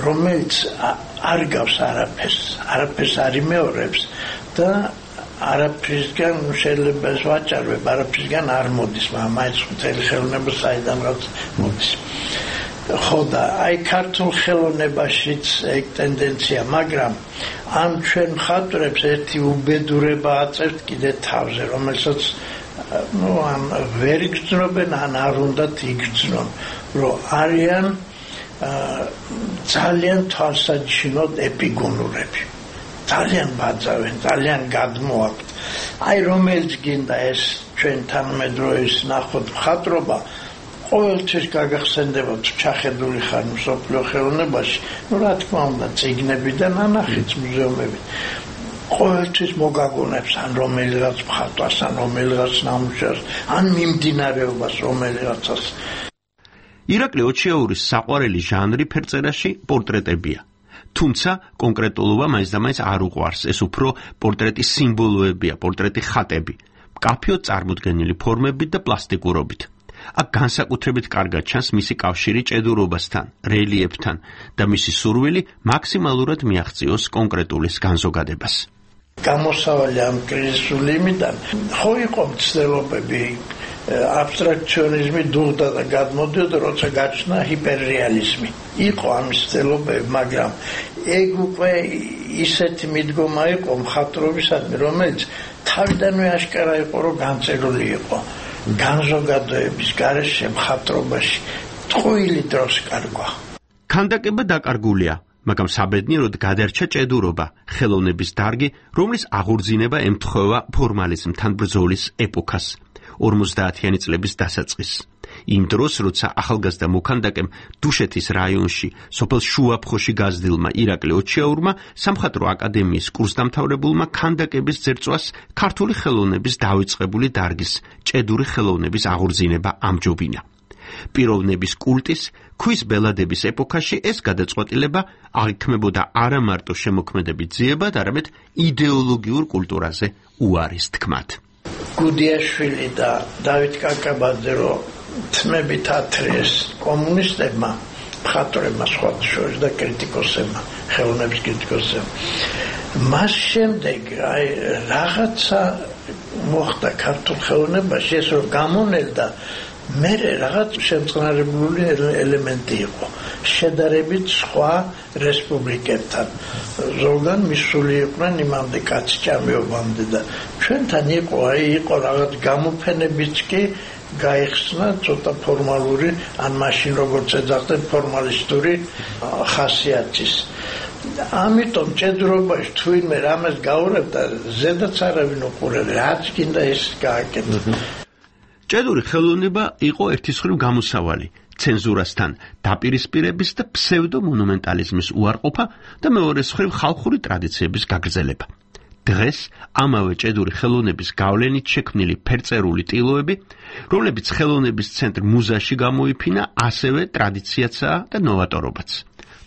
რომელიც არ გავს არაფერს არაფერს არ იმეორებს და არაფრისგან შეიძლება ეს ვაჭარებ არაფრისგან არ მოდის მაინც მთელი ხელოვნება საიდან რაც მოდის ხო და აი ქართულ ხელოვნებაშიც ეგ ტენდენცია მაგრამ ამ ჩვენ მხატვრებს ერთი უბედურება აწევთ კიდე თავზე რომელსაც ну ან ვერ იგრძნობენ ან არ უნდათ იგრძნონ რომ არიან ძალიან თვალსაჩინოდ ეპიგონურები ძალიან ბაძავენ ძალიან გადმოაქვთ აი რომელიც გინდა ეს ჩვენ თანამედროვეის ნახოთ მხატვრობა ყოველთვის გაგახსენდება თუ ჩახედული ხარ მსოფლიო ხელოვნებაში ну რა თქმა უნდა წიგნებიდან ანახით მუზეუმებით ყოველთვის მოგაგონებს ან რომელიღაც მხატვარს ან რომელიღაც ნამუშევრს ან მიმდინარეობას რომელიღაცას ირაკლი ოჩიაურის საყვარელი ჟანრი ფერწერაში პორტრეტებია თუმცა კონკრეტულობა მაინც და მაინც არ უყვარს ეს უფრო პორტრეტის სიმბოლოებია პორტრეტი ხატები მკაფიოდ წარმოდგენილი ფორმებით და პლასტიკურობით აქ განსაკუთრებით კარგად ჩანს მისი კავშირი ჭედურობასთან, რელიეფთან და მისი სურვილი მაქსიმალურად მიაღწიოს კონკრეტულის განზოგადებას. გამოსავალი ამ კრიზისული იმიდან ხო იყო მცდელობები აბსტრაქციონიზმი დუღდა და გადმოდიოდა როცა გაჩნდა ჰიპერრეალიზმი იყო ამ მცდელობები მაგრამ ეგ უკვე ისეთი მიდგომა იყო მხატვრობისადმი რომელიც თავიდანვე აშკარა იყო რომ განწერილი იყო განზოგადოების გარეშე მხატვრობაში ტყუილი დროს კარგვა ქანდაკება დაკარგულია მაგრამ საბედნიეროდ გადარჩა ჭედურობა ხელოვნების დარგი რომლის აღორძინება ემთხვევა ფორმალიზმთან ბრძოლის ეპოქას ორმოცდაათიანი წლების დასაწყისს იმ დროს როცა ახალგაზრდა მოქანდაკემ დუშეთის რაიონში სოფელ შუაფხოში გაზრდილმა ირაკლი ოჩიაურმა სამხატვრო აკადემიის კურსდამთავრებულმა ქანდაკების ძერწვას ქართული ხელოვნების დავიწყებული დარგის ჭედური ხელოვნების აღორძინება ამჯობინა პიროვნების კულტის ქვის ბელადების ეპოქაში ეს გადაწყვეტილება აღიქმებოდა არა მარტო შემოქმედებით ძიებად არამედ იდეოლოგიურ კულტურაზე უარის თქმად გუდიაშვილი და დავით კაკაბაძე რო თმებით ათრიეს კომუნისტებმა მხატვრებმა სხვათა შორის და კრიტიკოსებმა ხელოვნების კრიტიკოსებმა მას შემდეგ აი რაღაცა მოხდა ქართულ ხელოვნებაში ეს რომ გამონელდა მე რაღაც შემწყნარებული ელემენტი იყო შედარებით სხვა რესპუბლიკებთან ზოგან მისული იყვნენ იმამდე კაცჭამეობამდე და ჩვენთან იყო აი იყო რაღაც გამოფენებიც კი გაიხსნა ცოტა ფორმალური ან მაშინ როგორც ეძახდნენ ფორმალისტური ხასიათის ამიტომ ჭედურობაში თუ ვინმე რამეს გაურებდა ზედაც არავინ უყურებდა რაც გინდა ის გააკეთა ჭედური ხელოვნება იყო ერთის მხრივ გამოსავალი ცენზურასთან დაპირისპირების და ფსევდომონუმენტალიზმის უარყოფა და მეორეს მხრივ ხალხური ტრადიციების გაგრძელება დღეს ამავე ჭედური ხელოვნების გავლენით შექმნილი ფერწერული ტილოები რომლებიც ხელოვნების ცენტრ მუზაში გამოიფინა ასევე ტრადიციაცაა და ნოვატორობაც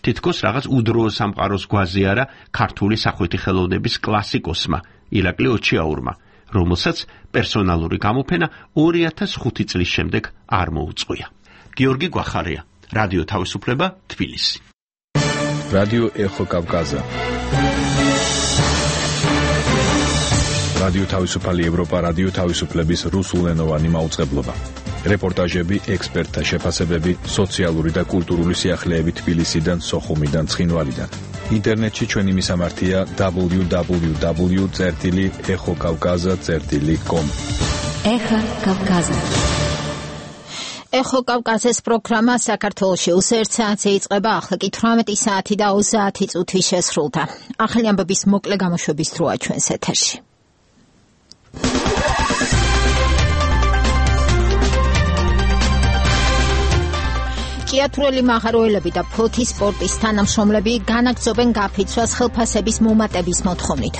თითქოს რაღაც უდროო სამყაროს გვაზი არა ქართული სახვითი ხელოვნების კლასიკოსმა ირაკლი ოჩიაურმა რომელსაც პერსონალური გამოფენა ორი ათას ხუთი წლის შემდეგ არ მოუწყვია. გიორგი გვახარია, რადიო თავისუფლება, თბილისი. რადიო ეხო კავკაზა. რადიო თავისუფალი ევროპა, რადიო თავისუფლების რუსულენოვანი მაუწყებლობა. რეპორტაჟები, ექსპერტთა შეფასებები, სოციალური და კულტურული სიახლეები თბილისიდან, სოხუმიდან, ცხინვალიდან. ინტერნეტში ჩვენი მისამართია double-u double-u double-u წერტილი ეხოკავკაზა წერტილი com. ეხა კავკაზა. ეხო კავკაზის პროგრამა საქართველოში უსერთ საათზე იწყება, ახლა კი თვრამეტი საათი და ოცდაათი წუთი შესრულდა. ახალი ამბების მოკლე გამოშვების დროა ჩვენს ეთერში. ჭიათურელი მაღაროელები და ფლოტის სპორტის თანამშრომლები განაგრძობენ გაფიცვას ხელფასების მომატების მოთხოვნით.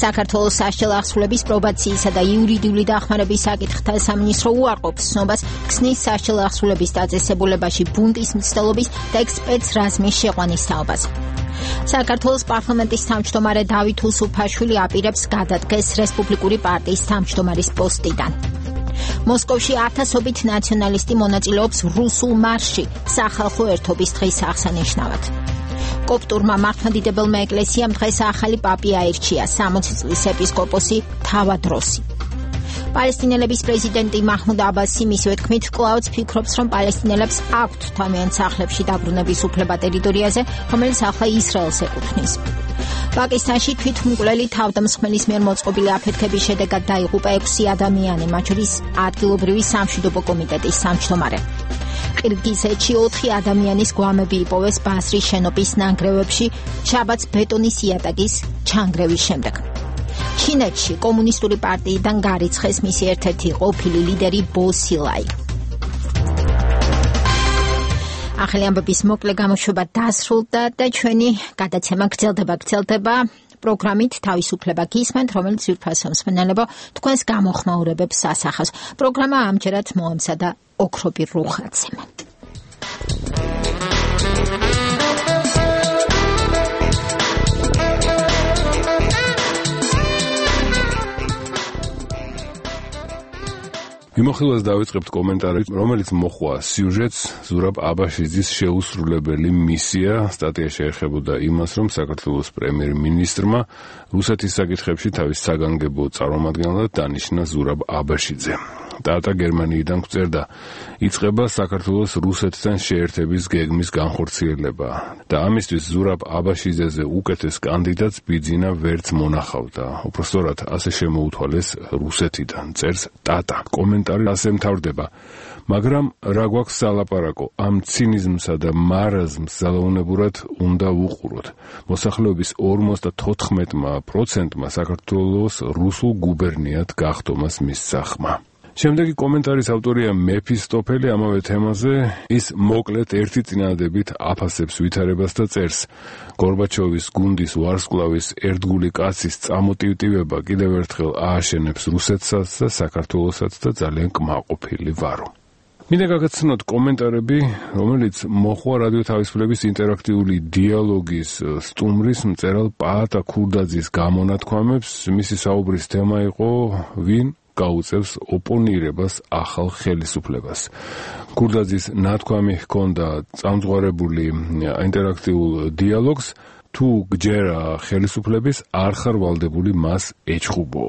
საქართველოს სასჯელ ახსრულების პრობაციისა და იურიდიული დახმარების საკითხთა სამინისტრო უარყოფს ცნობას ქსნის სასჯელ ახსრულების დაწესებულებაში ბუნტის მცდელობის და ექსპერტ-რაზმის შეყვანის თაობას. საქართველოს პარლამენტის თავმჯდომარე დავით უსუფაშვილი აპირებს გადადგეს რესპუბლიკური პარტიის თავმჯდომარის პოსტიდან. მოსკოვში ათასობით ნაციონალისტი მონაწილეობს რუსულ მარშში სახალხო ერთობის დღის აღსანიშნავად. კოპტურმა მართლმადიდებელმა ეკლესიამ დღეს ახალი პაპი აირჩია, სამოცი წლის ეპისკოპოსი თავად როსი. პალესტინელების პრეზიდენტი მაჰმუდ აბასი მისივე თქმით კვლავაც ფიქრობს, რომ პალესტინელებს აქვთ თავიანთ სახლებში დაბრუნების უფლება ტერიტორიაზე, რომელიც ახლა ისრაელს ეკუთვნის. პაკისტანში თვითმკვლელი თავდამსხმელის მიერ მოწყობილი აფეთქების შედეგად დაიღუპა ექვსი ადამიანი, მათ შორის ადგილობრივი სამშვიდობო კომიტეტის თავმჯდომარე. ყირგიზეთში ოთხი ადამიანის გვამები იპოვეს ბასრის შენობის ნანგრევებში შაბათს ბეტონის იატაკის ჩანგრევის შემდეგ. ჩინეთში კომუნისტური პარტიიდან გარიცხეს მისი ერთ-ერთი ყოფილი ლიდერი ბო სილაი. ახალი ამბების მოკლე გამოშვება დასრულდა და ჩვენი გადაცემა გრძელდება გრძელდება პროგრამით თავისუფლება გისმენთ, რომელიც ძვირფასო მსმენელებო თქვენს გამოხმაურებებს ასახავს. პროგრამა ამჯერად მოამზადა ოქრობი რუხაძემ. მიმოხილვას დავიწყებთ კომენტარით, რომელიც მოხვა სიუჟეტს ზურაბ აბაშიძის შეუსრულებელი მისია. სტატია შეეხებოდა იმას, რომ საქართველოს პრემიერ-მინისტრმა რუსეთის საკითხებში თავის საგანგებო წარმომადგენლად დანიშნა ზურაბ აბაშიძე. ტატა გერმანიიდან გვწერდა, იწყება საქართველოს რუსეთთან შეერთების გეგმის განხორციელება და ამისთვის ზურაბ აბაშიძეზე უკეთეს კანდიდატს ბიძინა ვერც მონახავდა. უпростоრად ასე შემოუთვალეს რუსეთიდან, წერს ტატა. კომენტარი ასე მთავრდება, მაგრამ რა გვაქვს სალაპარაკო, ამ ცინიზმსა და მარაზმს ძალაუნებურად უნდა ვუყუროთ. მოსახლეობის ორმოცდათოთხმეტ პროცენტმა საქართველოს რუსულ გუბერნიად გახდომას მისცა ხმა. შემდეგი კომენტარის ავტორია მეფისტოფელი ამავე თემაზე. ის მოკლედ ერთი წინადადებით აფასებს ვითარებას და წერს, გორბაჩოვის გუნდის ვარსკვლავის ერთგული კაცის წამოტივტივება კიდევ ერთხელ ააშენებს რუსეთსაც და საქართველოსაც და ძალიან კმაყოფილი ვარო. მინდა გაგაცნოთ კომენტარები, რომელიც მოხვა რადიო თავისუფლების ინტერაქტიული დიალოგის სტუმრის მწერალ პაატა ქურდაძის გამონათქვამებს. მისი საუბრის თემა იყო ვინ გაუწევს ოპონირებას ახალ ხელისუფლებას. ქურდაძის ნათქვამი ჰქონდა წამძღვარებული ინტერაქტიულ დიალოგს, თუ გჯერა ხელისუფლების არ ხარ ვალდებული მას ეჩხუბო.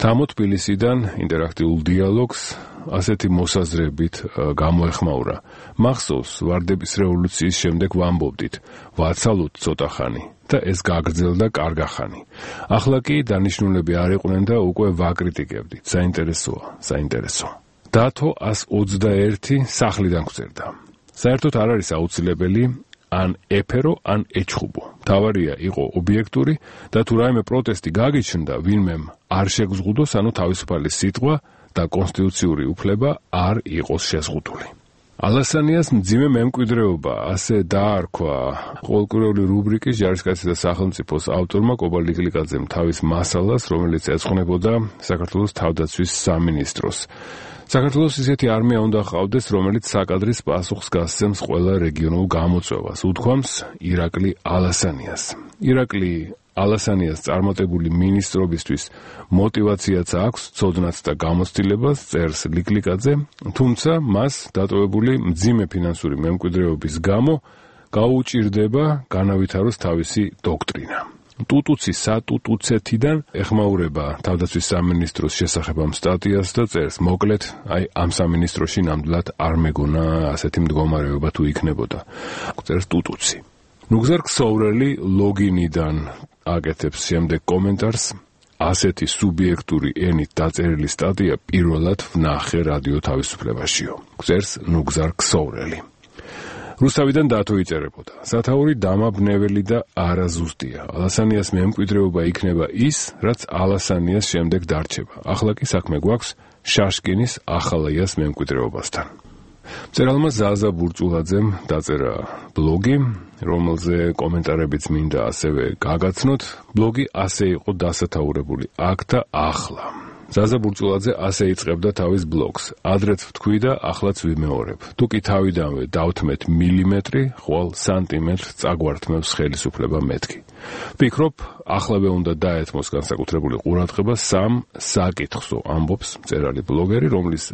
თამო თბილისიდან ინტერაქტიულ დიალოგს ასეთი მოსაზრებით გამოეხმაურა. მახსოვს ვარდების რევოლუციის შემდეგ ვამბობდით, ვაცალოთ ცოტა ხანი და ეს გაგრძელდა კარგახანი. ახლა კი დანიშნულები არ იყვნენ და უკვე ვაკრიტიკებდით. საინტერესოა, საინტერესო. დათო ას ოცდაერთი სახლიდან გვწერდა. საერთოდ არ არის აუცილებელი ან ეფერო, ან ეჩხუბო. თავარია იყო ობიექტური და თუ რაიმე პროტესტი გაგიჩნდა, ვინმემ არ შეგზღუდოს, ანუ თავისუფალი სიტყვა და კონსტიტუციური უფლება არ იყოს შეზღუდული. ალასანიას მძიმე მემკვიდრეობა, ასე დაარქვა ყოველკვირეული რუბრიკის ჯარისკაცი და სახელმწიფოს ავტორმა კობა ლიკლიკაძემ თავის მასალას, რომელიც ეძღვნებოდა საქართველოს თავდაცვის სამინისტროს. საქართველოს ისეთი არმია უნდა ჰყავდეს, რომელიც საკადრის პასუხს გასცემს ყველა რეგიონულ გამოწვევას, უთქვამს ირაკლი ალასანიას. ირაკლი ალასანიას წარმატებული მინისტრობისთვის мотивაციაც აქვს, ცოდნაც და გამოცდილებას, წერს ლიკლიკაძე, თუმცა მას დატოვებული მძიმე ფინანსური მემკვიდრეობის გამო გაუჭირდება განავითაროს თავისი დოქტრინა. ტუტუცი სატუტუცეთიდან ეხმაურება თავდაცვის სამინისტროს შესახებ ამ სტატიას და წერს, მოკლედ, აი ამ სამინისტროში ნამდვილად არ მეგონა ასეთი მდგომარეობა თუ იქნებოდა. წერს ტუტუცი. ნუგზარ ქსოვრელი ლოგინიდან აკეთებს შემდეგ კომენტარს. ასეთი სუბიექტური ენით დაწერილი სტატია პირველად ვნახე რადიო თავისუფლებაშიო. გწერს ნუგზარ ქსოვრელი. რუსთავიდან დათო იწერებოდა. სათაური დამაბნეველი და არაზუსტია. ალასანიას მემკვიდრეობა იქნება ის, რაც ალასანიას შემდეგ დარჩება. ახლა კი საქმე გვაქვს შაშკინის ახალაიას მემკვიდრეობასთან. მწერალმა ზაზა ბურჭულაძემ დაწერა ბლოგი, რომელზე კომენტარებიც მინდა ასევე გაგაცნოთ. ბლოგი ასე იყო დასათაურებული: აქ და ახლა. ზაზა ბურჭულაძე ასე იწყებდა თავის ბლოგს: ადრეც ვთქვი და ახლაც ვიმეორებ. თუ კი თავიდანვე დავთმეთ მილიმეტრი, ხვალ სანტიმეტრს წაგვართმევს ხელისუფლება მეთქი. ვფიქრობ, ახლავე უნდა დაეთმოს განსაკუთრებული ყურადღება სამ საკითხსო, ამბობს მწერალი ბლოგერი, რომლის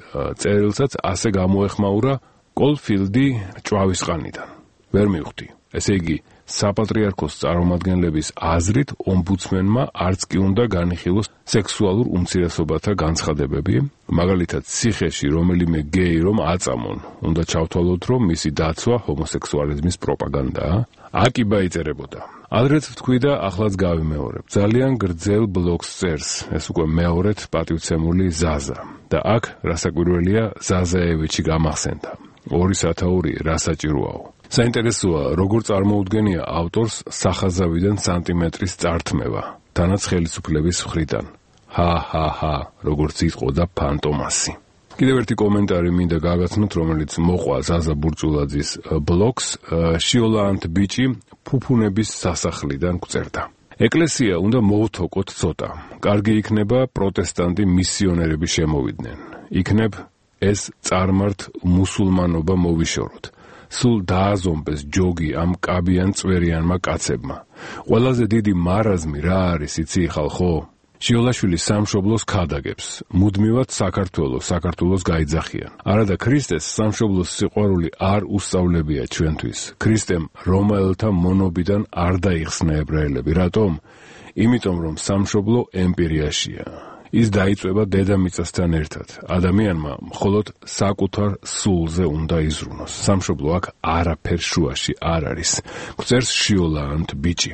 წერილსაც ასე გამოეხმაურა კოლფილდი ჭვავისყანიდან. ვერ მივხვდი. ესე იგი, საპატრიარქოს წარმომადგენლების აზრით ომბუდსმენმა არც კი უნდა განიხილოს სექსუალურ უმცირესობათა განცხადებები, მაგალითად ციხეში რომელიმე გეი რომ აწამონ, უნდა ჩავთვალოთ, რომ მისი დაცვა ჰომოსექსუალიზმის პროპაგანდაა. აკიბა იწერებოდა: ადრეც ვთქვი და ახლაც გავიმეორებ. ძალიან გრძელ ბლოგს წერს, ეს უკვე მეორედ პატივცემული ზაზა. და აქ რასაკვირველია, ზაზაევიჩი გამახსენდა. ორი სათაური რასაჭიროაო. საინტერესოა, როგორ წარმოუდგენია ავტორს სახაზავიდან სანტიმეტრის წართმევა, თანაც ხელისუფლების მხრიდან. ჰა-ჰა-ჰა, როგორც იტყოდა ფანტომასი. კიდევ ერთი კომენტარი მინდა გაგაცნოთ, რომელიც მოყვა ზაზა ბურჭულაძის ბლოგს. შიოლაანთ ბიჭი ფუფუნების სასახლიდან გვწერდა. ეკლესია უნდა მოვთოკოთ ცოტა. კარგი იქნება პროტესტანტი მისიონერები შემოვიდნენ. იქნებ ეს წარმართ მუსულმანობა მოვიშოროთ. სულ დააზომბეს ჯოგი ამ კაბიან წვერიანმა კაცებმა. ყველაზე დიდი მარაზმი რა არის, იცი ხალხო? შიოლაშვილი სამშობლოს ქადაგებს. მუდმივად საქართველოს, საქართველოს გაიძახიან. არადა ქრისტეს სამშობლოს სიყვარული არ უსწავლებია ჩვენთვის. ქრისტემ რომაელთა მონობიდან არ დაიხსნა ებრაელები. რატომ? იმიტომ რომ სამშობლო ემპირიაშია. ის დაიწვება დედამიწასთან ერთად. ადამიანმა მხოლოდ საკუთარ სულზე უნდა იზრუნოს. სამშობლო აქ არაფერ შუაში არ არის. გვწერს შიოლაანთ ბიჭი.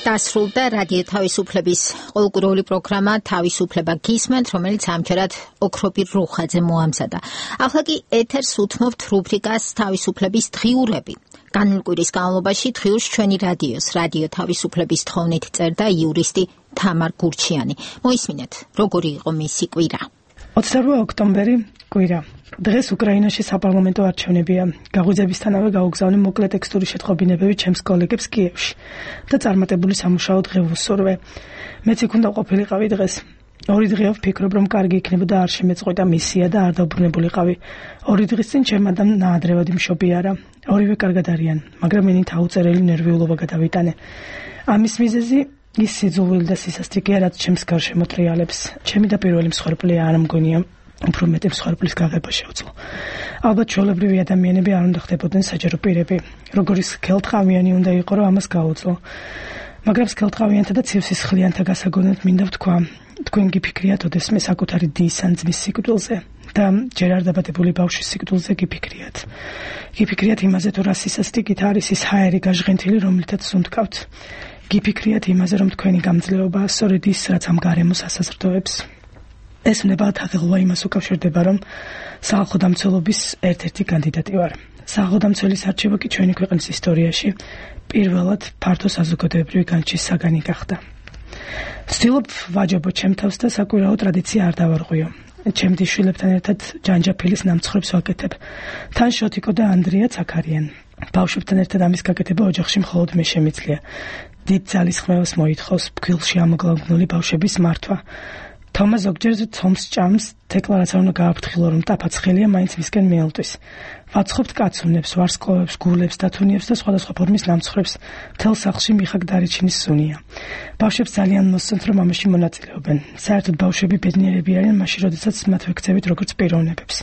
დასრულდა რადიო თავისუფლების ყოველკვირეული პროგრამა თავისუფლება გისმენთ, რომელიც ამჯერად ოქროპირ რუხაძე მოამზადა. ახლა კი ეთერს უთმობთ რუბრიკას თავისუფლების დღიურები. განვლ კვირის განმავლობაში დღიურს ჩვენი რადიოს, რადიო თავისუფლების თხოვნით წერდა იურისტი თამარ გურჩიანი. მოისმინეთ, როგორი იყო მისი კვირა. ოცდაორ ოქტომბერი კვირა. დღეს უკრაინაში საპარლამენტო არჩევნებია. გაღვიძებისთანავე გაუგზავნე მოკლე ტექსტური შეტყობინებები ჩემს კოლეგებს კიევში და წარმატებული სამუშაო დღე ვუსურვე. მეც იქ უნდა ყოფილიყავი დღეს. ორი დღეა ვფიქრობ, რომ კარგი იქნებოდა არ შემეწყვეტა მისია და არ დაუბრუნებულიყავი. ორი დღის წინ ჩემ ადამ ნაადრევად იმშობიარა. ორივე კარგად არიან, მაგრამ მენი თაუწერელი ნერვიულობა გადავიტანე. ამის მიზეზი ის სიძულვილი და სისასტიკეა, რაც ჩემს გარშემო ტრიალებს. ჩემი და პირველი მსხვერპლია არ მგონია. უფრო მეტი მსხვერპლის გაღება შეუძლო. ალბათ ჩვეულებრივი ადამიანები არ უნდა ხდებოდნენ საჯარო პირები. როგორი სქელტყავიანი უნდა იყო, რომ ამას გაუძლო. მაგრამ სქელტყავიანთა და ცივსისხლიანთა გასაგონად მინდა ვთქვა, თქვენ გიფიქრიათ ოდესმე საკუთარი დის ან ძმის სიკვდილზე და ჯერ არ დაბადებული ბავშვის სიკვდილზე გიფიქრიათ. გიფიქრიათ იმაზე, თუ რა სისასტიკით არის ის ჰაერი გაჟღენთილი, რომლითაც სუნთქავთ. გიფიქრიათ იმაზე, რომ თქვენი გამძლეობა სწორედ ის, რაც ამ გარემოს ასაზრდოებს. ეს ნებად აღელვა იმას უკავშირდება, რომ სახალხო დამცველობის ერთ-ერთი კანდიდატი ვარ. სახალხო დამცველის არჩევა კი ჩვენი ქვეყნის ისტორიაში პირველად ფართო საზოგადოებრივი განჭის საგანი გახდა. ვცდილობ ვაჯობო ჩემ თავს და საკვირაო ტრადიცია არ დავარღვიო. ჩემ შვილებთან ერთად ჯანჯაფილის ნამცხრებს ვაკეთებ. თან შოთიკო და ანდრიაც აქ არიან. ბავშვებთან ერთად ამის გაკეთება ოჯახში მხოლოდ მე შემიძლია. დიდ ძალისხმევას მოითხოვს ფქვილში ამოგლაგნული ბავშვების მართვა. თომა ზოგჯერ თომს ჭამს, თეკლა რაც არ უნდა გააფრთხილო, რომ ტაფაცხელია მაინც მისკენ მიელტვის. ვაცხობთ კაცუნებს, ვარსკვლავებს, გულებს, დათუნიებს და სხვადასხვა ფორმის ნამცხრებს. მთელ სახლში მიხაკ დარიჩინის სუნია. ბავშვებს ძალიან მოსწონთ, რომ ამაში მონაწილეობენ. საერთოდ ბავშვები ბედნიერები არიან მაშინ, როდესაც მათ ვექცევით როგორც პიროვნებებს.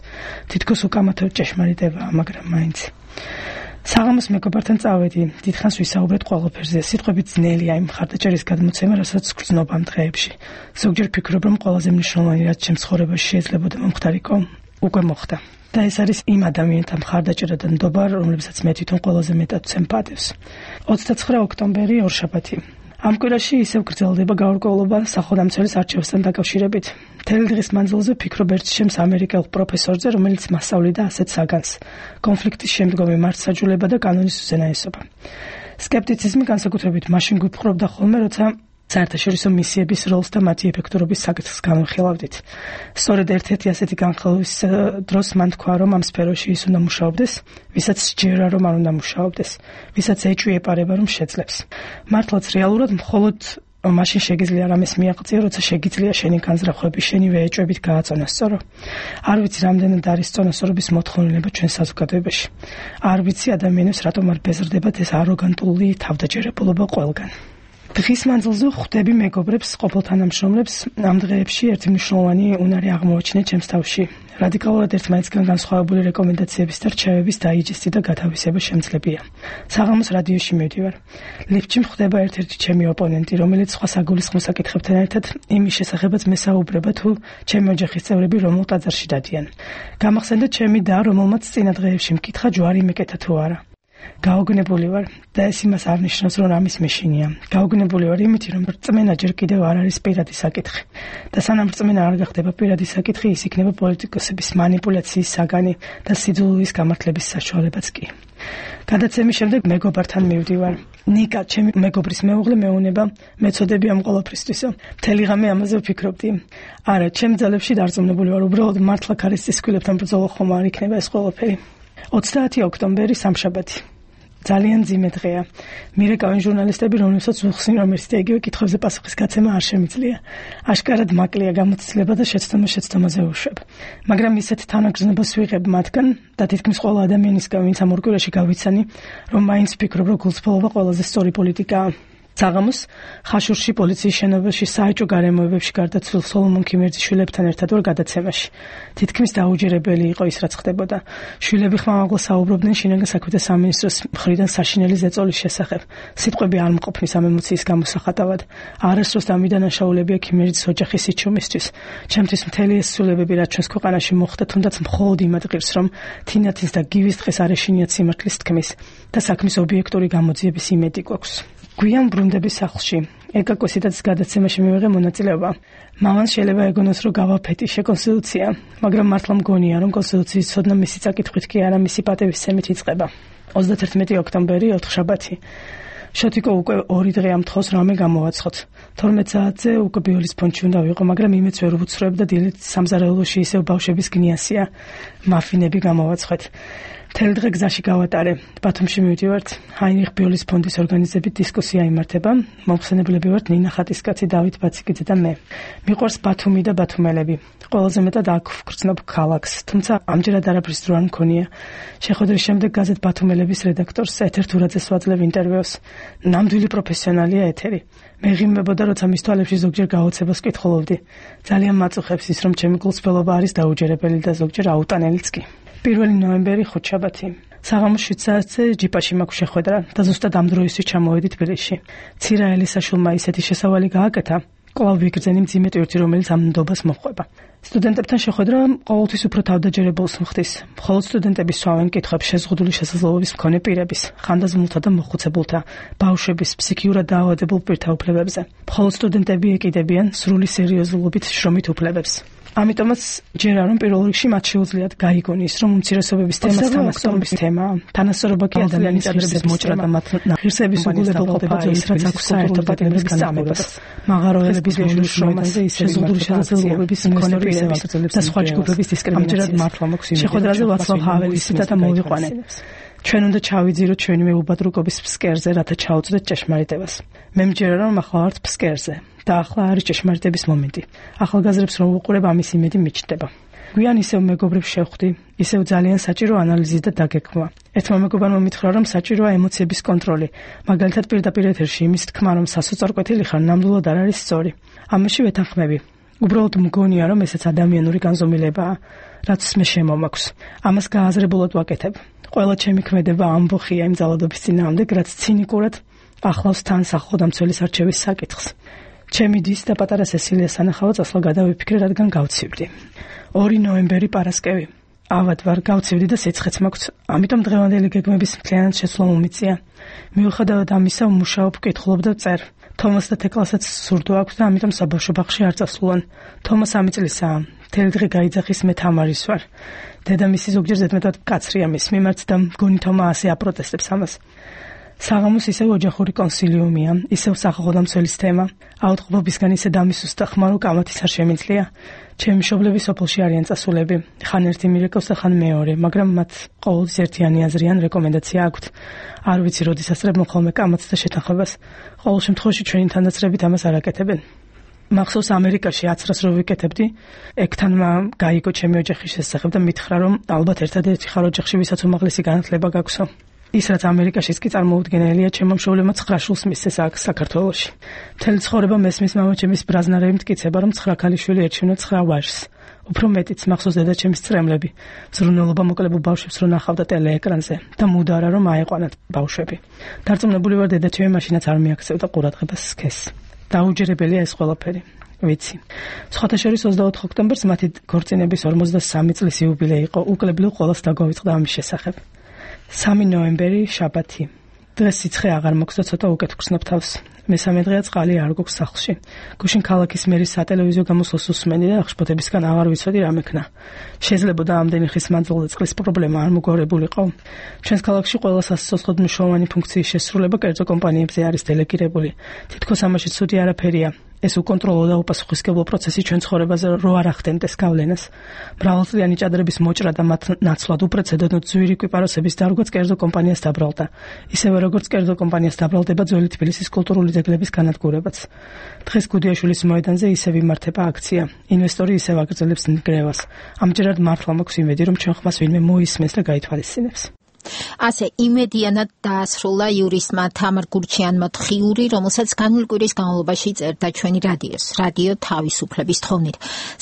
თითქოს უკამათო ჭეშმარიტებაა, მაგრამ მაინც. საღამოს მეგობართან წავედი, დიდხანს ვისაუბრეთ ყველაფერზე, სიტყვები ძნელია იმ მხარდაჭერის გადმოცემა, რასაც გრძნობ ამ დღეებში. ზოგჯერ ვფიქრობ, რომ ყველაზე მნიშვნელოვანი რაც ჩემს ცხოვრებაში შეიძლებოდა მომხდარიყო, უკვე მოხდა. და ეს არის იმ ადამიანთა მხარდაჭერა და ნდობა, რომლებსაც მე თვითონ ყველაზე მეტად ვცემ ოცდაცხრა ოქტომბერი ორშაბათი. ამ კვირაში ისევ გრძელდება გაურკვევლობა სახელმწიფოს არჩევასთან დაკავშირებით. მთელი დღის მანძილზე ვფიქრობ ერთ ჩემს ამერიკელ პროფესორზე, რომელიც მასწავლიდა ასეთ საგანს: კონფლიქტის შემდგომი მართლმსაჯულება და კანონის უზენაესობა. სკეპტიციზმი განსაკუთრებით მაშინ გვიპყრობდა ხოლმე, როცა საერთაშორისო მისიების როლს და მათი ეფექტურობის საკითხს განვიხილავდით. სწორედ ერთ-ერთი ასეთი განხილვის დროს მან თქვა, რომ ამ სფეროში ის უნდა მუშაობდეს, ვისაც სჯერა, რომ არ უნდა მუშაობდეს, ვისაც ეჭვი ეპარება, რომ შეძლებს. მართლაც რეალურად მხოლოდ მაშინ შეგიძლია რამეს მიაღწიო, როცა შეგიძლია შენი განზრახვები, შენივე ეჭვებით გააწონასწორო. არ ვიცი, რამდენად არის წონასწორობის მოთხოვნილება ჩვენ საზოგადოებაში. არ ვიცი, ადამიანებს რატომ არ ბეზრდებათ ეს აროგანტული თავდაჯერებულობა ყველგან. დღის მანძილზე ხვდები მეგობრებს, ყოფილ თანამშრომლებს, ამ დღეებში ერთი მნიშვნელოვანი უნარი აღმოაჩინე ჩემს თავში. რადიკალურად ერთმანეთისგან განსხვავებული რეკომენდაციების და რჩევების დაიჯესტი და გათავისება შემძლებია. საღამოს რადიოში მივდივარ. ლიფტში მხვდება ერთ-ერთი ჩემი ოპონენტი, რომელიც სხვა საგულისხმო საკითხებთან ერთად იმის შესახებაც მესაუბრება, თუ ჩემი ოჯახის წევრები რომელ ტაძარში დადიან. გამახსენდა ჩემი და, რომელმაც წინა დღეებში მკითხა ჯვარი მეკეთა თუ არა. გაოგნებული ვარ და ეს იმას არ ნიშნავს, რომ რამის მეშინია. გაოგნებული ვარ იმით, რომ რწმენა ჯერ კიდევ არ არის პირადი საკითხი. და სანამ რწმენა არ გახდება პირადი საკითხი, ის იქნება პოლიტიკოსების манипуляციის საგანი და სიძულვილის გამართლების საშუალებაც კი. გადაცემის შემდეგ მეგობართან მივდივარ. ნიკა, ჩემი მეგობრის მეუღლე მეუნება, მეწოდები ამ ყველაფრისთვისო. მთელი ღამე ამაზე ვფიქრობდი. არა, ჩემ ძალებში დარწმუნებული ვარ, უბრალოდ მართლა ქარის ცისკვილებთან ბრძოლა ხომ არ იქნება ეს ყველაფერი. ოცდაათი ოქტომბერი სამშაბათი. ძალიან ძიმე დღეა. მირეკავენ ჟურნალისტები, რომლებსაც უხსნი, რომ ერთ და იგივე კითხვებზე პასუხის გაცემა არ შემიძლია. აშკარად მაკლია გამოცდილება და შეცდომა შეცდომაზე უშვებ. მაგრამ ისეთ თანაგრძნობას ვიღებ მათგან და თითქმის ყველა ადამიანისგან, ვინც ამ ორ კვირაში გავიცანი, რომ მაინც ვფიქრობ, რომ გულწრფელობა ყველაზე სწორი პოლიტიკაა. საღამოს ხაშურში პოლიციის შენობებში საეჭვო გარემოებებში გარდაცვლილ სოლომონ ქიმერძიშვილებთან ერთად ვარ გადაცემაში. თითქმის დაუჯერებელი იყო ის, რაც ხდებოდა. შვილები ხმამაღლა საუბრობდნენ შინაგან საქმეთა სამინისტროს მხრიდან საშინელი ზეწოლის შესახებ. სიტყვები არ მყოფნის ამ ემოციის გამოსახატავად. არასდროს დამიდანაშაულებია ქიმერძის ოჯახის სიჩუმისთვის. ჩემთვის მთელი ეს ცვლილებები, რაც ჩვენს ქვეყანაში მოხდა, თუნდაც მხოლოდ იმ ადგილს, რომ თინათის და გივის დღეს არ ეშინიათ სიმართლის თქმის და საქმის ობიექტური გამოძიების იმედი გვაქვს. გვიან ბრუნდების სახლში. ეკაკოსიდაც გადაცემაში მივიღე მონაწილეობა. მამას შეიძლება ეგონოს, რომ გავაფეტიშე კონსტიტუცია, მაგრამ მართლა მგონია, რომ კონსტიტუციის ცოდნა მისი წაკითხვით კი არა, მისი პატევისცემით იწყება. ოცდათერთმეტი ოქტომბერი ოთხშაბათი. შოთიკო უკვე ორი დღე ამთხოვს რამე გამოვაცხოთ. თორმეტ საათზე უკვე ბიოლის ფონდში უნდა ვიყო, მაგრამ იმეც ვერ ვუცხროებ და დილით სამზარეულოში ისევ ბავშვების გნიასია. მაფინები გამოვაცხეთ. მთელი დღე გზაში გავატარე. ბათუმში მივდივართ. ჰაინრიხ ბიოლის ფონდის ორგანიზებით დისკუსია იმართება. მომხსენებლები ვართ ნინა ხატისკაცი, დავით ბაციკიძე და მე. მიყვარს ბათუმი და ბათუმელები. ყველაზე მეტად აქ ვგრძნობ ქალაქს, თუმცა ამჯერად არაფრის დრო არ მქონია. შეხვედრის შემდეგ გაზეთ ბათუმელების რედაქტორს ეთერ თურაძეს ვაძლევ ინტერვიუს. ნამდვილი პროფესიონალია ეთერი. მეღიმებოდა, როცა მის თვალებში ზოგჯერ გაოცებას კითხულობდი. ძალიან მაწუხებს ის, რომ ჩემი გულწრფელობა არის დაუჯერებელი და ზოგჯერ აუტანელიც კი. პირველი ნოემბერი ხუთშაბათი. საღამოს შვიდ საათზე ჯიპაში მაქვს შეხვედრა და ზუსტად ამ დროისთვის ჩამოვედი თბილისში. ცირა ელისაშვილმა ისეთი შესავალი გააკეთა, კვლავ ვიგრძენი მძიმე ტვირთი, რომელიც ამ ნდობას მოჰყვება. სტუდენტებთან შეხვედრა ყოველთვის უფრო თავდაჯერებულს მხდის. მხოლოდ სტუდენტები სვავენ კითხვებს შეზღუდული შესაძლებლობის მქონე პირების, ხანდაზმულთა და მოხუცებულთა, ბავშვების, ფსიქიურად დაავადებულ პირთა უფლებებზე. მხოლოდ სტუდენტები ეკიდებიან სრული სერიოზულობით შრომით უფლებებს. ამიტომაც ჯერა რომ პირველ რიგში მათ შეუძლიათ გაიგონ ის, რომ უმცირესობების თემა თანასწორობის თემაა. თანასწორობა კი ადამიანის ღირსების მოჭრა და მათ ღირსების უგულებელყოფა ის, რაც აქვს საერთო პატიმრების განმეორებას. მაღაროელების მოშლის შრომაზე ისე ზღუდული შესაძლებლობების მქონე პირების და სხვა ჯგუფების დისკრიმინაციას მართლა მოქს იმედი. შეხვედრაზე ვაცლავ ჰაველის ციტატა მოვიყვანე. ჩვენ უნდა ჩავიძიროთ ჩვენი მეუბადრუკობის ფსკერზე, რათა ჩაუწვდეთ ჭეშმარიტებას. მე მჯერა რომ ახლა ვართ ფსკერზე. და ახლა არის ჭეშმარიტების მომენტი. ახალგაზრდებს რომ უყურებ, ამის იმედი მიჩნდება. გვიან ისევ მეგობრებს შევხვდი, ისევ ძალიან საჭირო ანალიზი და დაგეგმვა. ერთმა მეგობარმა მითხრა, რომ საჭიროა ემოციების კონტროლი. მაგალითად პირდაპირ ეთერში იმის თქმა, რომ სასოწარკვეთილი ხარ, ნამდვილად არ არის სწორი. ამაში ვეთანხმები. უბრალოდ მგონია, რომ ესეც ადამიანური განზომილებაა. რაც მე შემომაქვს. ამას გააზრებულად ვაკეთებ. ყველა ჩემი ქმედება ამბოხია იმ ძალადობის წინააღმდეგ, რაც ცინიკურად ახლავს თან სახელმწიფოს არჩევის საკითხს. ჩემი დის და პატარა სესილიას სანახავად წასვლა გადავიფიქრე, რადგან გავცივდი. ორი ნოემბერი პარასკევი. ავად ვარ, გავცივდი და სიცხეც მაქვს, ამიტომ დღევანდელი გეგმების მთლიანად შეცვლა მომიწია. მიუხედავად ამისა, ვმუშაობ, ვკითხულობ და წერ. თომას და თეკლასაც სურდო აქვს და ამიტომ საბავშვო ბაღში არ წასულან. თომას სამი წლისაა. მთელი დღე გაიძახის, მე თამარის ვარ. დედამისი ზოგჯერ ზედმეტად მკაცრია მის მიმართ და მგონი თომა ასე აპროტესტებს ამას. საღამოს ისევ ოჯახური კონსილიუმია, ისევ სახალხო დამცველის თემა. აუწყობობისგან ისე დამისუს და ხმარო კამათის არ შემიძლია. ჩემი მშობლები სოფელში არიან წასულები. ხან ერთი მირეკავს და ხან მეორე, მაგრამ მათ ყოველთვის ერთიანი აზრი ან რეკომენდაცია აქვთ. არ ვიცი, როდის ასწრებენ ხოლმე კამათს და შეთანხმებას. ყოველ შემთხვევაში ჩვენი თანდაცრებით ამას არ აკეთებენ. მახსოვს ამერიკაში აცრას რო ვიკეთებდი, ეგთანმა გაიგო ჩემი ოჯახის შესახებ და მითხრა, რომ ალბათ ერთადერთი ხარ ოჯახში, ვისაც უმაღლესი განათლება გაქვსო. ის რაც ამერიკაშიც კი წარმოუდგენელია, ჩემო მშობლებმა ცხრა შულს მისცეს აქ საქართველოში. მთელი ცხოვრება მესმის მამაჩემის ბრაზნარები მტკიცება, რომ ცხრა ქალიშვილი ერჩივნა ცხრა ვაჟს. უფრო მეტიც მახსოვს დედაჩემის წრემლები, ზრუნველობა მოკლებულ ბავშვებს რო ნახავდა ტელეეკრანზე და მუდარა რომ აეყვანათ ბავშვები. დარწმუნებული ვარ, დედაჩემი მაშინაც არ მიაქცევდა ყურადღებას სქესს. დაუჯერებელია ეს ყველაფერი. ვიცი. სხვათა შორის ოცდაოთხ ოქტომბერს მათი ქორწინების ორმოცდასამი წლის იუბილეი იყო, უკლებლივ ყველას დაგვავიწყდა ამის შესახებ. სამი ნოემბერი, შაბათი. დღეს სიცხე აღარ მოქვს და ცოტა უკეთ ვგრძნობ თავს. მესამე დღეა წყალი არ გვაქვს სახლში. გუშინ ქალაქის მერის სატელევიზიო გამოსვლას უსმენდი და აღშფოთებისგან აღარ ვიცოდი რა მექნა. შეიძლებოდა ამდენი ხის მანძილზე წყლის პრობლემა არ მოგორებულიყო. ჩვენს ქალაქში ყველა სასიცოცხლოდ მნიშვნელოვანი ფუნქციის შესრულება კერძო კომპანიებზე არის დელეგირებული. თითქოს ამაში ცუდი არაფერია. ეს უკონტროლო და უპასუხისმგებლო პროცესი ჩვენ ცხოვრებაზე რო არ ახდენდეს გავლენას. მრავალწლიანი ჭადრების მოჭრა და მათ ნაცვლად უპრეცედენტო ძვირი კვიპაროსების დარგვაც კერძო კომპანიას დაბრალდა. ისევე როგორც კერძო კომპანიას დაბრალდება ძველი თბილისის კულტურული ძეგლების განადგურებაც. დღეს გუდიაშვილის მოედანზე ისევ იმართება აქცია. ინვესტორი ისევ აგრძელებს ნგრევას. ამჯერად მართლა მაქვს იმედი, რომ ჩვენ ხმას ვინმე მოისმენს და გაითვალისწინებს. ასე იმედიანად დაასრულა იურისტმა თამარ გურჩიანმა თხიური, რომელსაც განვლი კვირის განმავლობაში წერდა ჩვენი რადიოს, რადიო თავისუფლების თხოვნით.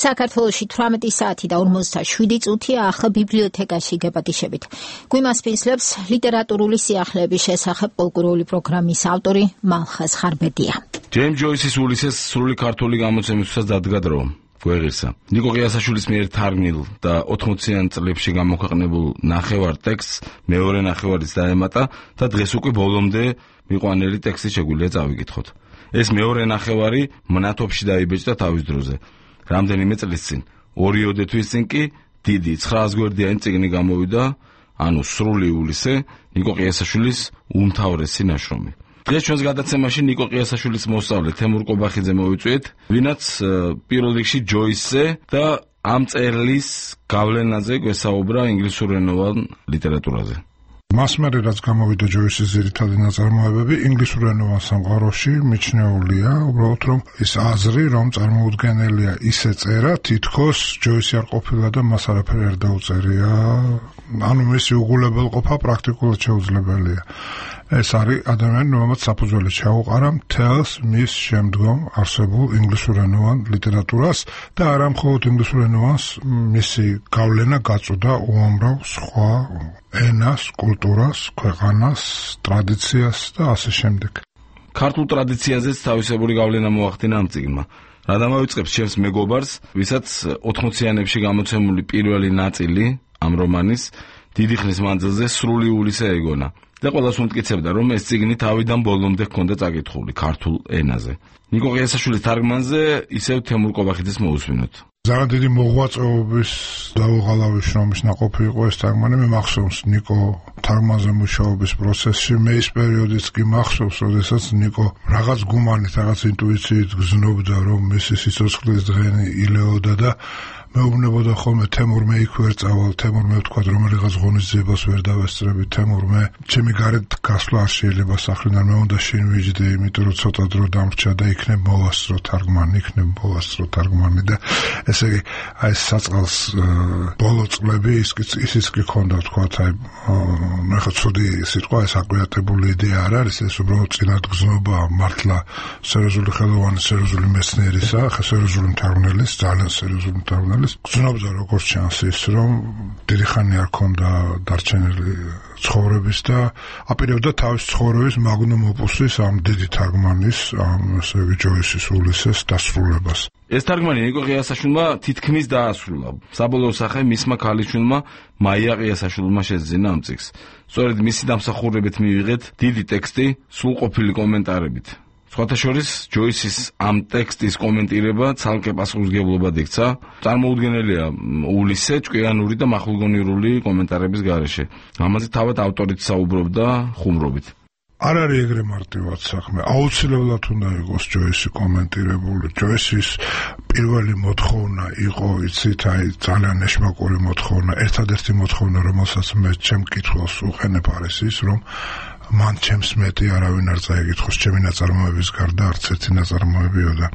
საქართველოში თვრამეტი საათი და ორმოცდაშვიდი წუთია, ახლა ბიბლიოთეკაში გეპატიშებით. გვიმასპინძლებს ლიტერატურული სიახლეების შესახებ პოლკურული პროგრამის ავტორი მალხაზ ხარბედია. ჯეიმ ჯოისის ულისეს სრული ქართული გამოცემისთვისაც დადგა დრო. გვეღირსა. ნიკო ყიასაშვილის მიერ თარგმნილ და ოთხმოციან წლებში გამოქვეყნებულ ნახევარ ტექსტს მეორე ნახევარიც დაემატა და დღეს უკვე ბოლომდე მიყვანელი ტექსტი შეგვიძლია წავიკითხოთ. ეს მეორე ნახევარი მნათობში დაიბეჭდა თავის დროზე. რამდენიმე წლის წინ, ორიოდე თვის წინ კი დიდი ცხრაას გვერდიანი წიგნი გამოვიდა, ანუ სრული ულისე, ნიკო ყიასაშვილის უმთავრესი ნაშრომი. დღეს ჩვენს გადაცემაში ნიკო ყიასაშვილის მოსწავლე თემურ კობახიძე მოვიწვიეთ, ვინაც პირველ რიგში ჯოისზე და ამ წერლის გავლენაზე გვესაუბრა ინგლისურენოვან ლიტერატურაზე. მას მერე რაც გამოვიდა ჯოისის ძირითადი ნაწარმოებები ინგლისურენოვან სამყაროში მიჩნეულია, უბრალოდ რომ ის აზრი, რომ წარმოუდგენელია ისე წერა, თითქოს ჯოისი არ ყოფილა და მას არაფერი არ დაუწერია, ანუ მისი უგულებელყოფა პრაქტიკულად შეუძლებელია. ეს არის ადამიანი, რომელმაც საფუძველი ჩაუყარა მთელს მის შემდგომ არსებულ ინგლისურენოვან ლიტერატურას და არა მხოლოდ ინგლისურენოვანს, მისი გავლენა გაწოდა უამრავ სხვა ენას, კულტურას, ქვეყანას, ტრადიციას და ასე შემდეგ. ქართულ ტრადიციაზეც თავისებური გავლენა მოახდინა ამ წიგნმა. რა დამავიწყებს ჩემს მეგობარს, ვისაც ოთხმოციანებში გამოცემული პირველი ნაწილი ამ რომანის დიდი ხნის მანძილზე სრული ულისე ეგონა. და ყველას უმტკიცებდა, რომ ეს წიგნი თავიდან ბოლომდე ჰქონდა წაკითხული ქართულ ენაზე. ნიკო ყიასაშვილის თარგმანზე ისევ თემურ კობახიძეს მოусვინოთ. ძალიან დიდი მოღვაწეობის დაუღალავი შრომის ნაყოფი იყო ეს თარგმანი. მე მახსოვს ნიკო თარგმანზე მუშაობის პროცესში, მე ის პერიოდიც კი მახსოვს, როდესაც ნიკო რაღაც გუმანით, რაღაც ინტუიციით გზნობდა, რომ მისი სიცოცხლის დღენი ილეოდა და მეუბნებოდა ხოლმე თემურ მე იქ ვერ წავალ, თემურ მე ვთქვა რომ რაღაც ღონისძიებას ვერ დავესწრები, თემურ მე ჩემი გარეთ გასვლა არ შეიძლება სახლიდან, მე უნდა შინ ვიჯდე, იმიტომ რომ ცოტა დრო დამრჩა და იქნებ მოვასწრო თარგმანი, იქნებ მოვასწრო თარგმანი და ესე იგი აი საწყალს ბოლო წლები ისიც კი ქონდა თქვა, აი ნუ ხა ცუდი სიტყვა, ეს აკვიატებული იდეა არ არის, ეს უბრალოდ წინადგზნობა მართლა სერიოზული ხელოვანი, სერიოზული მეცნიერისა, ხა სერიოზული მთარგმნელის, ძალიან სერიოზული მთარგმნელი სიკვდილის. გრძნობდა როგორც ჩანს ის, რომ დიდი ხანი არ ქონდა დარჩენილი ცხოვრების და აპირებდა თავის ცხოვრების მაგნუმ ოპუსის ამ დიდი თარგმანის, ამ ასე იგი ჯოისის ულისეს დასრულებას. ეს თარგმანი ნიკო ყიასაშვილმა თითქმის დაასრულა. საბოლოო სახე მისმა ქალიშვილმა მაია ყიასაშვილმა შეძინა ამ წიგნს. სწორედ მისი დამსახურებით მივიღეთ დიდი ტექსტი სრულყოფილი კომენტარებით. სხვათა შორის ჯოისის ამ ტექსტის კომენტირება ცალკე პასუხისმგებლობად იქცა. წარმოუდგენელია ულისე ჭკვიანური და მახვილგონიურული კომენტარების გარეშე. ამაზე თავად ავტორიც საუბრობდა ხუმრობით. არ არის ეგრე მარტივად საქმე. აუცილებლად უნდა იყოს ჯოისი კომენტირებული. ჯოისის პირველი მოთხოვნა იყო, იცით, აი ძალიან ეშმაკური მოთხოვნა. ერთადერთი მოთხოვნა, რომელსაც მე ჩემ კითხვას უყენებ არის ის, რომ მან ჩემს მეტი არავინ არ წაიკითხოს ჩემი ნაწარმოების გარდა არც ერთი ნაწარმოებიო და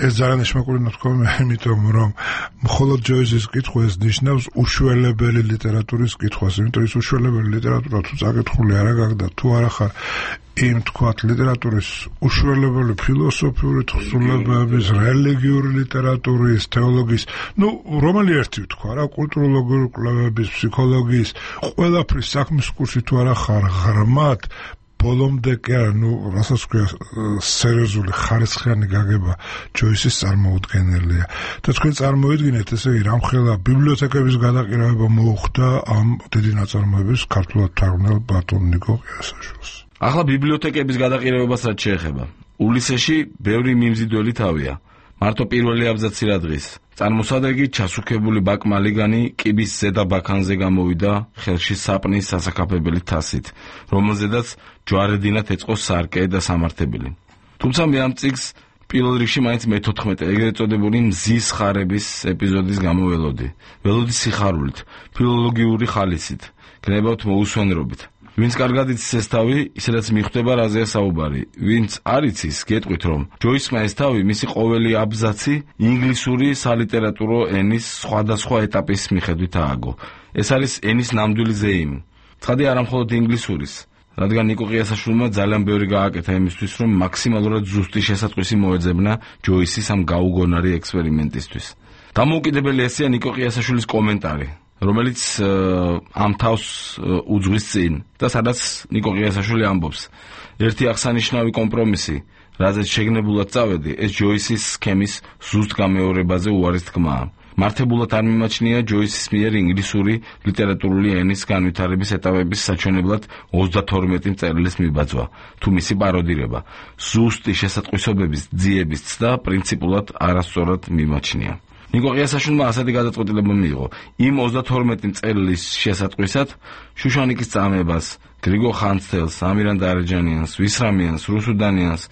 ეს ძალიან ეშმაკური მოთხოვნა, იმიტომ რომ მხოლოდ ჯოისის კითხვა ეს ნიშნავს უშველებელი ლიტერატურის კითხვას, იმიტომ ის უშველებელი ლიტერატურა თუ წაკითხული არა გაგდა, თუ არა ხარ იმ თქვათ ლიტერატურის უშველებელი ფილოსოფიური თხზულებების, რელიგიური ლიტერატურის, თეოლოგიის, ну, რომელი ერთი თქვა რა, კულტუროლოგიური კვლევების, ფსიქოლოგიის, ყველაფრის საქმის კურსი თუ არა ხარ ღრმად, ბოლომდე კი არა, ну, რასაც ქვია, სერიოზული ხარისხიანი გაგება ჯოისის წარმოუდგენელია. და თქვენ წარმოიდგინეთ, ესე იგი, რამხელა ბიბლიოთეკების გადაყირავება მოუხდა ამ დიდი ნაწარმოების ქართულად თარგმნელ ბატონ ნიკო ყიასაშვილს. ახლა ბიბლიოთეკების გადაყირებებას რაც შეეხება. ულისეში ბევრი მიმზიდველი თავია. მარტო პირველი აბზაცი რა დღის. წარმოსადეგი ჩასუქებული ბაკმალიგანი კიბის ზედა ბაქანზე გამოვიდა ხელში საპნის სასაკაფებელი თასით, რომელზედაც ჯვარედინად ეწყო სარკე და სამართებელი. თუმცა მე ამ წიგნს პირველ რიგში მაინც მეთოთხმეტე ეგრეთ წოდებული მზის ხარების ეპიზოდის გამო ველოდი. ველოდი სიხარულით, ფილოლოგიური ხალისით, გნებავთ მოუსვენრობით. ვინც კარგად იცის ეს თავი, ისედაც მიხვდება რაზეა საუბარი. ვინც არ იცის, გეტყვით რომ ჯოისმა ეს თავი მისი ყოველი აბზაცი ინგლისური სალიტერატურო ენის სხვადასხვა ეტაპის მიხედვით ააგო. ეს არის ენის ნამდვილი ზეიმი. ცხადი არა მხოლოდ ინგლისურის, რადგან ნიკო ყიასაშვილმა ძალიან ბევრი გააკეთა იმისთვის, რომ მაქსიმალურად ზუსტი შესატყვისი მოეძებნა ჯოისის ამ გაუგონარი ექსპერიმენტისთვის. დამოუკიდებელი ესეა ნიკო ყიასაშვილის კომენტარი, რომელიც ამ თავს უძღვის წინ და სადაც ნიკო ყიასაშვილი ამბობს, ერთი აღსანიშნავი კომპრომისი, რაზეც შეგნებულად წავედი, ეს ჯოისის სქემის ზუსტ გამეორებაზე უარის თქმაა. მართებულად არ მიმაჩნია ჯოისის მიერ ინგლისური ლიტერატურული ენის განვითარების ეტაპების საჩვენებლად ოცდათორმეტი წერილის მიბაძვა, თუ მისი პაროდირება, ზუსტი შესატყვისობების ძიების ცდა პრინციპულად არასწორად მიმაჩნია. ნიკო ყიასაშვილმა ასეთი გადაწყვეტილება მიიღო. იმ ოცდათორმეტი წერილის შესატყვისად შუშანიკის წამებას, გრიგო ხანძთელს, ამირან დარეჯანიანს, ვისრამიანს, რუსუდანიანს,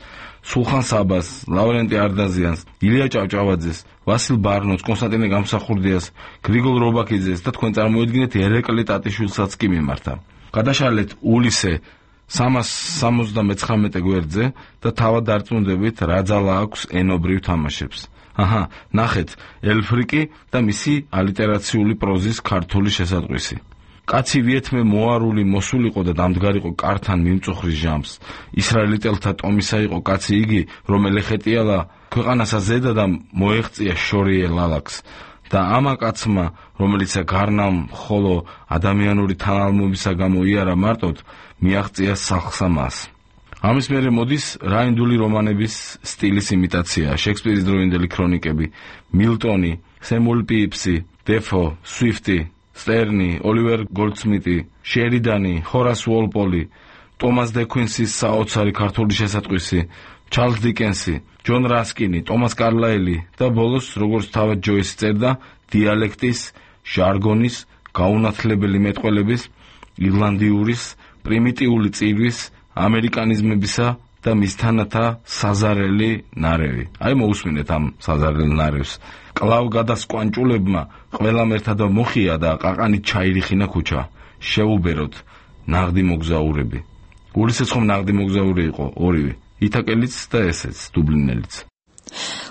სულხან საბას, ლავრენტი არდაზიანს, ილია ჭავჭავაძეს, ვასილ ბარნოც, კონსტანტინე გამსახურდიას, გრიგოლ რობაქიძეს და თქვენ წარმოიდგინეთ ერეკლი ტატიშვილსაც კი მიმართა. გადაშალეთ ულისე სამას სამოცდამეცხრამეტე გვერდზე და თავად დარწმუნდებით რა ძალა აქვს ენობრივ თამაშებს. აჰა, ნახეთ, ელფრიკი და მისი ალიტერაციული პროზის ქართული შესატყვისი. კაცი ვიეთმე მოარული მოსულიყო და დამდგარიყო კართან მიმწუხრის ჟამს. ისრაელიტელთა ტომისა იყო კაცი იგი, რომ ელეხეტიალა ქვეყანასა ზედა და მოეღწია შორიე ლალაკს. და ამა კაცმა, რომელიც გარნამ ხოლო ადამიანური თანალმობისა გამო იარა მარტოდ, მიაღწია სახლსა მას. ამის მერე მოდის რაინდული რომანების სტილის იმიტაცია, შექსპირის დროინდელი ქრონიკები, მილტონი, სემუელ პეიპსი, დეფო, სვიფტი, სტერნი, ოლივერ გოლდსმიტი, შერიდანი, ჰორას უოლპოლი, ტომას დე κουინსის საოცარი ქართული შესატყვისი, ჩარლზ დიკენსი, ჯონ რასკინი, ტომას კარლაილი და ბოლოს, როგორც თავად ჯოისი წერდა, დიალექტის, ჟარგონის, გაუნათლებელი მეტყველების, ირლანდიურის, პრიმიტიული წირვის, ამერიკანიზმებისა და მისთანათა საზარელი ნარევი. აი მოусმინეთ ამ საზარელ ნარევს. კლავ გადასკვანჭულებმა ყველამ ერთად მოხია და ყაყანით ჩაირიხინა ქუჩა. შეუბეროთ ნაღდი მოგზაურები. ულისეც ხომ ნაღდი მოგზაური იყო ორივე, ითაკელიც და ესეც დუბლინელიც.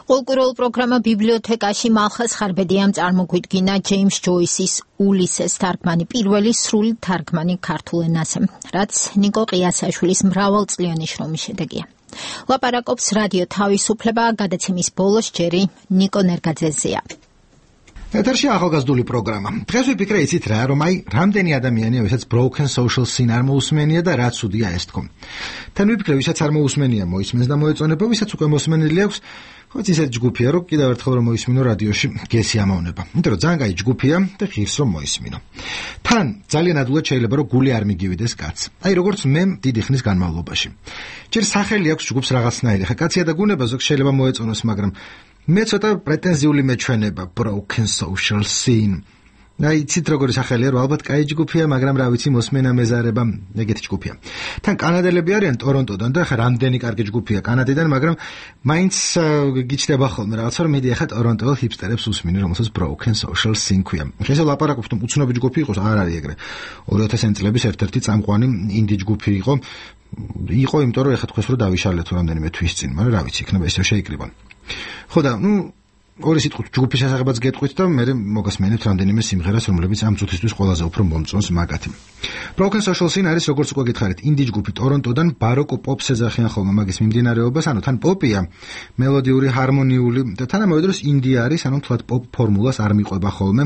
კულტურულ პროგრამა ბიბლიოთეკაში მალხაზ ხარბედიამ წარმოგვიდგინა ჯეიმს ჯოისის ულისეს თარგმანი, პირველი სრული თარგმანი ქართულ ენაზე, რაც ნიკო ყიასაშვილის მრავალწლიანი შრომის შედეგია. ლაპარაკობს რადიო თავისუფლება, გადაცემის ბოლოს ჯერი ნიკო ნერგაძეზეა. ეთერში ახალგაზრდული პროგრამა. დღეს ვიფიქრე იცით რა, რომ აი რამდენი ადამიანია, ვისაც broken social scene არ მოусმენია და რა ცუდია ეს თქო. თან ვიფიქრე, ვისაც არ მოусმენია, მოისმენს და მოეწონება, ვისაც უკვე მოსმენილი აქვს, ხო ისეთ ჯგუფია, რომ კიდევ ერთხელ რომ მოისმინო რადიოში გესი ამოვნება. იმიტომ რომ ძალიან კაი ჯგუფია და ღირს რომ მოისმინო. თან ძალიან ადვილად შეიძლება რომ გული არ მიგივიდეს კაცს. აი როგორც მე დიდი ხნის განმავლობაში. ჯერ სახელი აქვს ჯგუფს რაღაცნაირი. ხა კაცია და გუნება ზოგ შეიძლება მოეწონოს, მაგრამ მე ცოტა პრეტენზიული მეჩვენება broken social scene. აი ცით როგორი სახელია, რომ ალბათ კაი ჯგუფია, მაგრამ რა ვიცი მოსმენა მეზარება ეგეთი ჯგუფია. თან კანადელები არიან ტორონტოდან და ხა რამდენი კარგი ჯგუფია კანადიდან, მაგრამ მაინც გიჩნდება ხოლმე რაღაცა რომ მედი ახლა ტორონტოელ ჰიპსტერებს усმინე, რომელსაც broken social scene ქვია. ესე ლაპარაკობთ, რომ უცნობი ჯგუფი იყოს, არ არის ეგრე. ორი ათასიანი წლების ერთ-ერთი წამყვანი ინდი ჯგუფი იყო. იყო, იმიტომ რომ ეხლა თქვენს რომ დავიშალეთ რამდენიმე თვის წინ, მაგრამ რა ვიცი, იქნება ისე შეიკრიბონ. ხო და ნუ ორი სიტყვით ჯგუფის შესახებაც გეტყვით და მე მოგასმენებთ რამდენიმე სიმღერას, რომლებიც ამ წუთისთვის ყველაზე უფრო მომწონს მაგათი. Broken Social Scene არის როგორც უკვე გითხარით, ინდი ჯგუფი ტორონტოდან ბაროკო პოპს ეძახიან ხოლმე მაგის მიმდინარეობას, ანუ თან პოპია, მელოდიური, ჰარმონიული და თანამედროვე დროს ინდი არის, ანუ თლად პოპ ფორმულას არ მიყვება ხოლმე.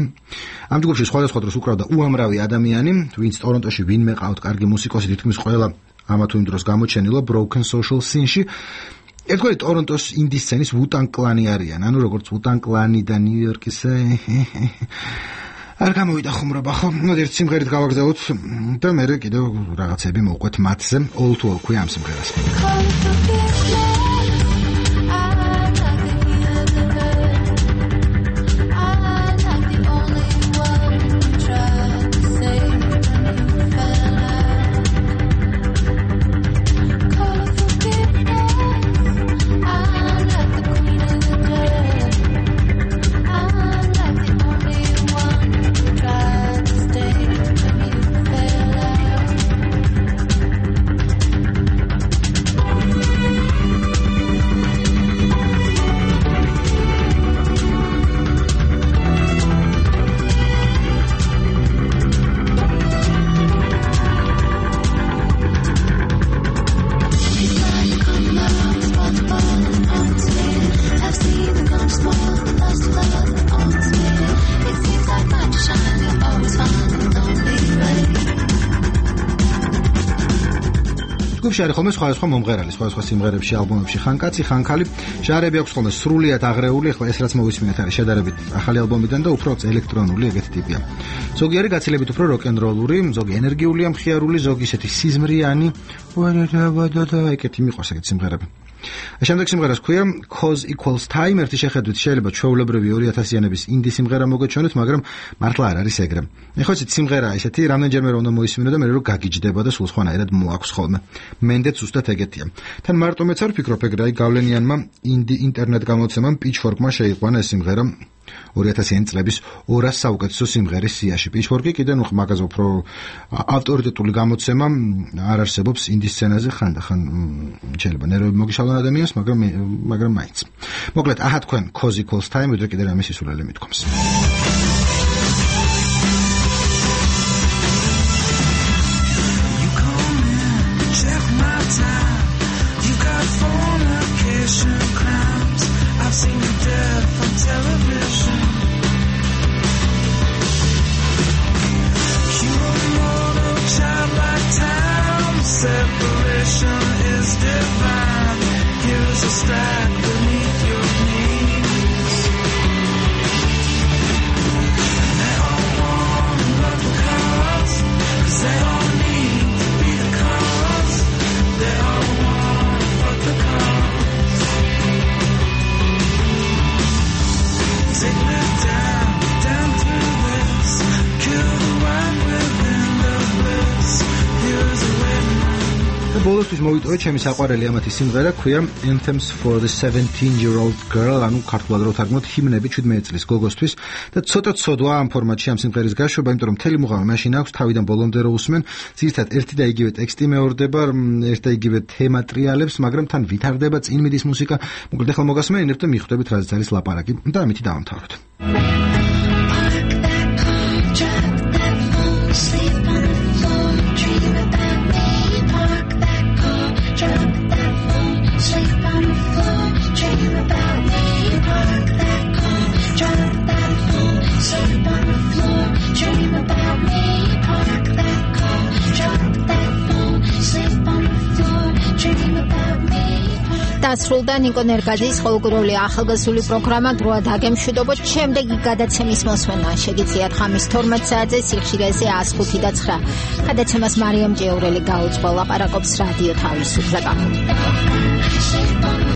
ამ ჯგუფში სხვადასხვა დროს უკრავდა უამრავი ადამიანი, ვინც ტორონტოში ვინმე ყავთ კარგი მუსიკოსი, თითქმის ყველა ამა თუ იმ დროს გამოჩენილა Broken Social Scene-ში. ერთგვარი ტორონტოს ინდი სცენის ვუტან კლანი არიან, ანუ როგორც ვუტან კლანი და ნიუ-იორკის არ გამოვიდა ხუმრობა, ხო? ნუ ერთ სიმღერით გავაგზავნოთ და მე კიდევ რაღაცები მოვყვეთ მათზე. All to All ქვია ამ სიმღერას. შარი ხოლმე სხვადასხვა მომღერალი, სხვადასხვა სიმღერებში, ალბომებში, ხან კაცი, ხან ქალი, ჟანრები აქვს ხოლმე სრულიად აღრეული, ახლა ეს რაც მოვისმინეთ არის შედარებით ახალი ალბომიდან და უფრო ელექტრონული ეგეთი ტიპია. ზოგი არის გაცილებით უფრო როკ-ენ-როლური, ზოგი ენერგიულია, მხიარული, ზოგი ისეთი სიზმრიანი, და ეგეთი მიყვარს ეგეთი სიმღერები. შემდეგ სიმღერას ქვია Cause Equals Time, ერთი შეხედვით შეიძლება ჩვეულებრივი ორი ათასიანების ინდი სიმღერა მოგეჩვენოთ, მაგრამ მართლა არ არის ეგრე. ეხლა იცით სიმღერა ისეთი, რამდენჯერმე რომ უნდა მოისმინო და მე რო გაგიჯდება და სულ სხვანაირად მოაქვს ხოლმე. მენდეც უბრალოდ ეგეთია. თან მარტო მეც არ ვფიქრობ ეგრე, აი გავლენიანმა ინდი ინტერნეტ გამოცემამ Pitchfork-მა შეიყვანა ეს სიმღერა ორი ათასიანი წლების ორას საუკეთესო სიმღერის სიაში. Pitchfork-ი კიდე ნუ მაგაზე უფრო ავტორიტეტული გამოცემა არ არსებობს ინდი სცენაზე ხანდახან შეიძლება ნერვები მოგიშალონ ადამიანს, მაგრამ მაგრამ მაინც. მოკლედ, აჰა თქვენ Cause Equals Time, ვიდრე კიდე რამე სისულელე მithkoms. Separation is divine. Here's a stack beneath your knees. And they all want to love the cause, 'cause they all need to be the cause. They all want to fuck the cause. Take me down, down through this. Kill the one within the bliss. Here's a way. ბოლოსთვის მოვიტოვე ჩემი საყვარელი ამათი სიმღერა, ქვია Anthems for the seventeen-year-old girl, ანუ ქართულად რო თარგმნოთ ჰიმნები შვიდმეტი წლის გოგოსთვის და ცოტა ცოდვა ამ ფორმატში ამ სიმღერის გაშვება, იმიტომ რომ მთელი მუღამი მაშინ აქვს თავიდან ბოლომდე რო უსმენ, ძირითადად ერთი და იგივე ტექსტი მეორდება, ერთ და იგივე თემა ტრიალებს, მაგრამ თან ვითარდება, წინ მიდის მუსიკა. მოკლედ ახლა მოგასმენინებთ და მიხვდებით რაზეც არის ლაპარაკი და ამითი დავამთავროთ. დასრულდა ნიკო ნერგაძის ყოველკვირეული ახალგაზრდული პროგრამა დროა დაგემშვიდობოთ. შემდეგი გადაცემის მოსმენა შეგიძლიათ ხამის თორმეტ საათზე სიხშირეზე one oh five და nine. გადაცემას მარიამ ჭეურელი გაუძღვა, ლაპარაკობს რადიო თავისუფლება.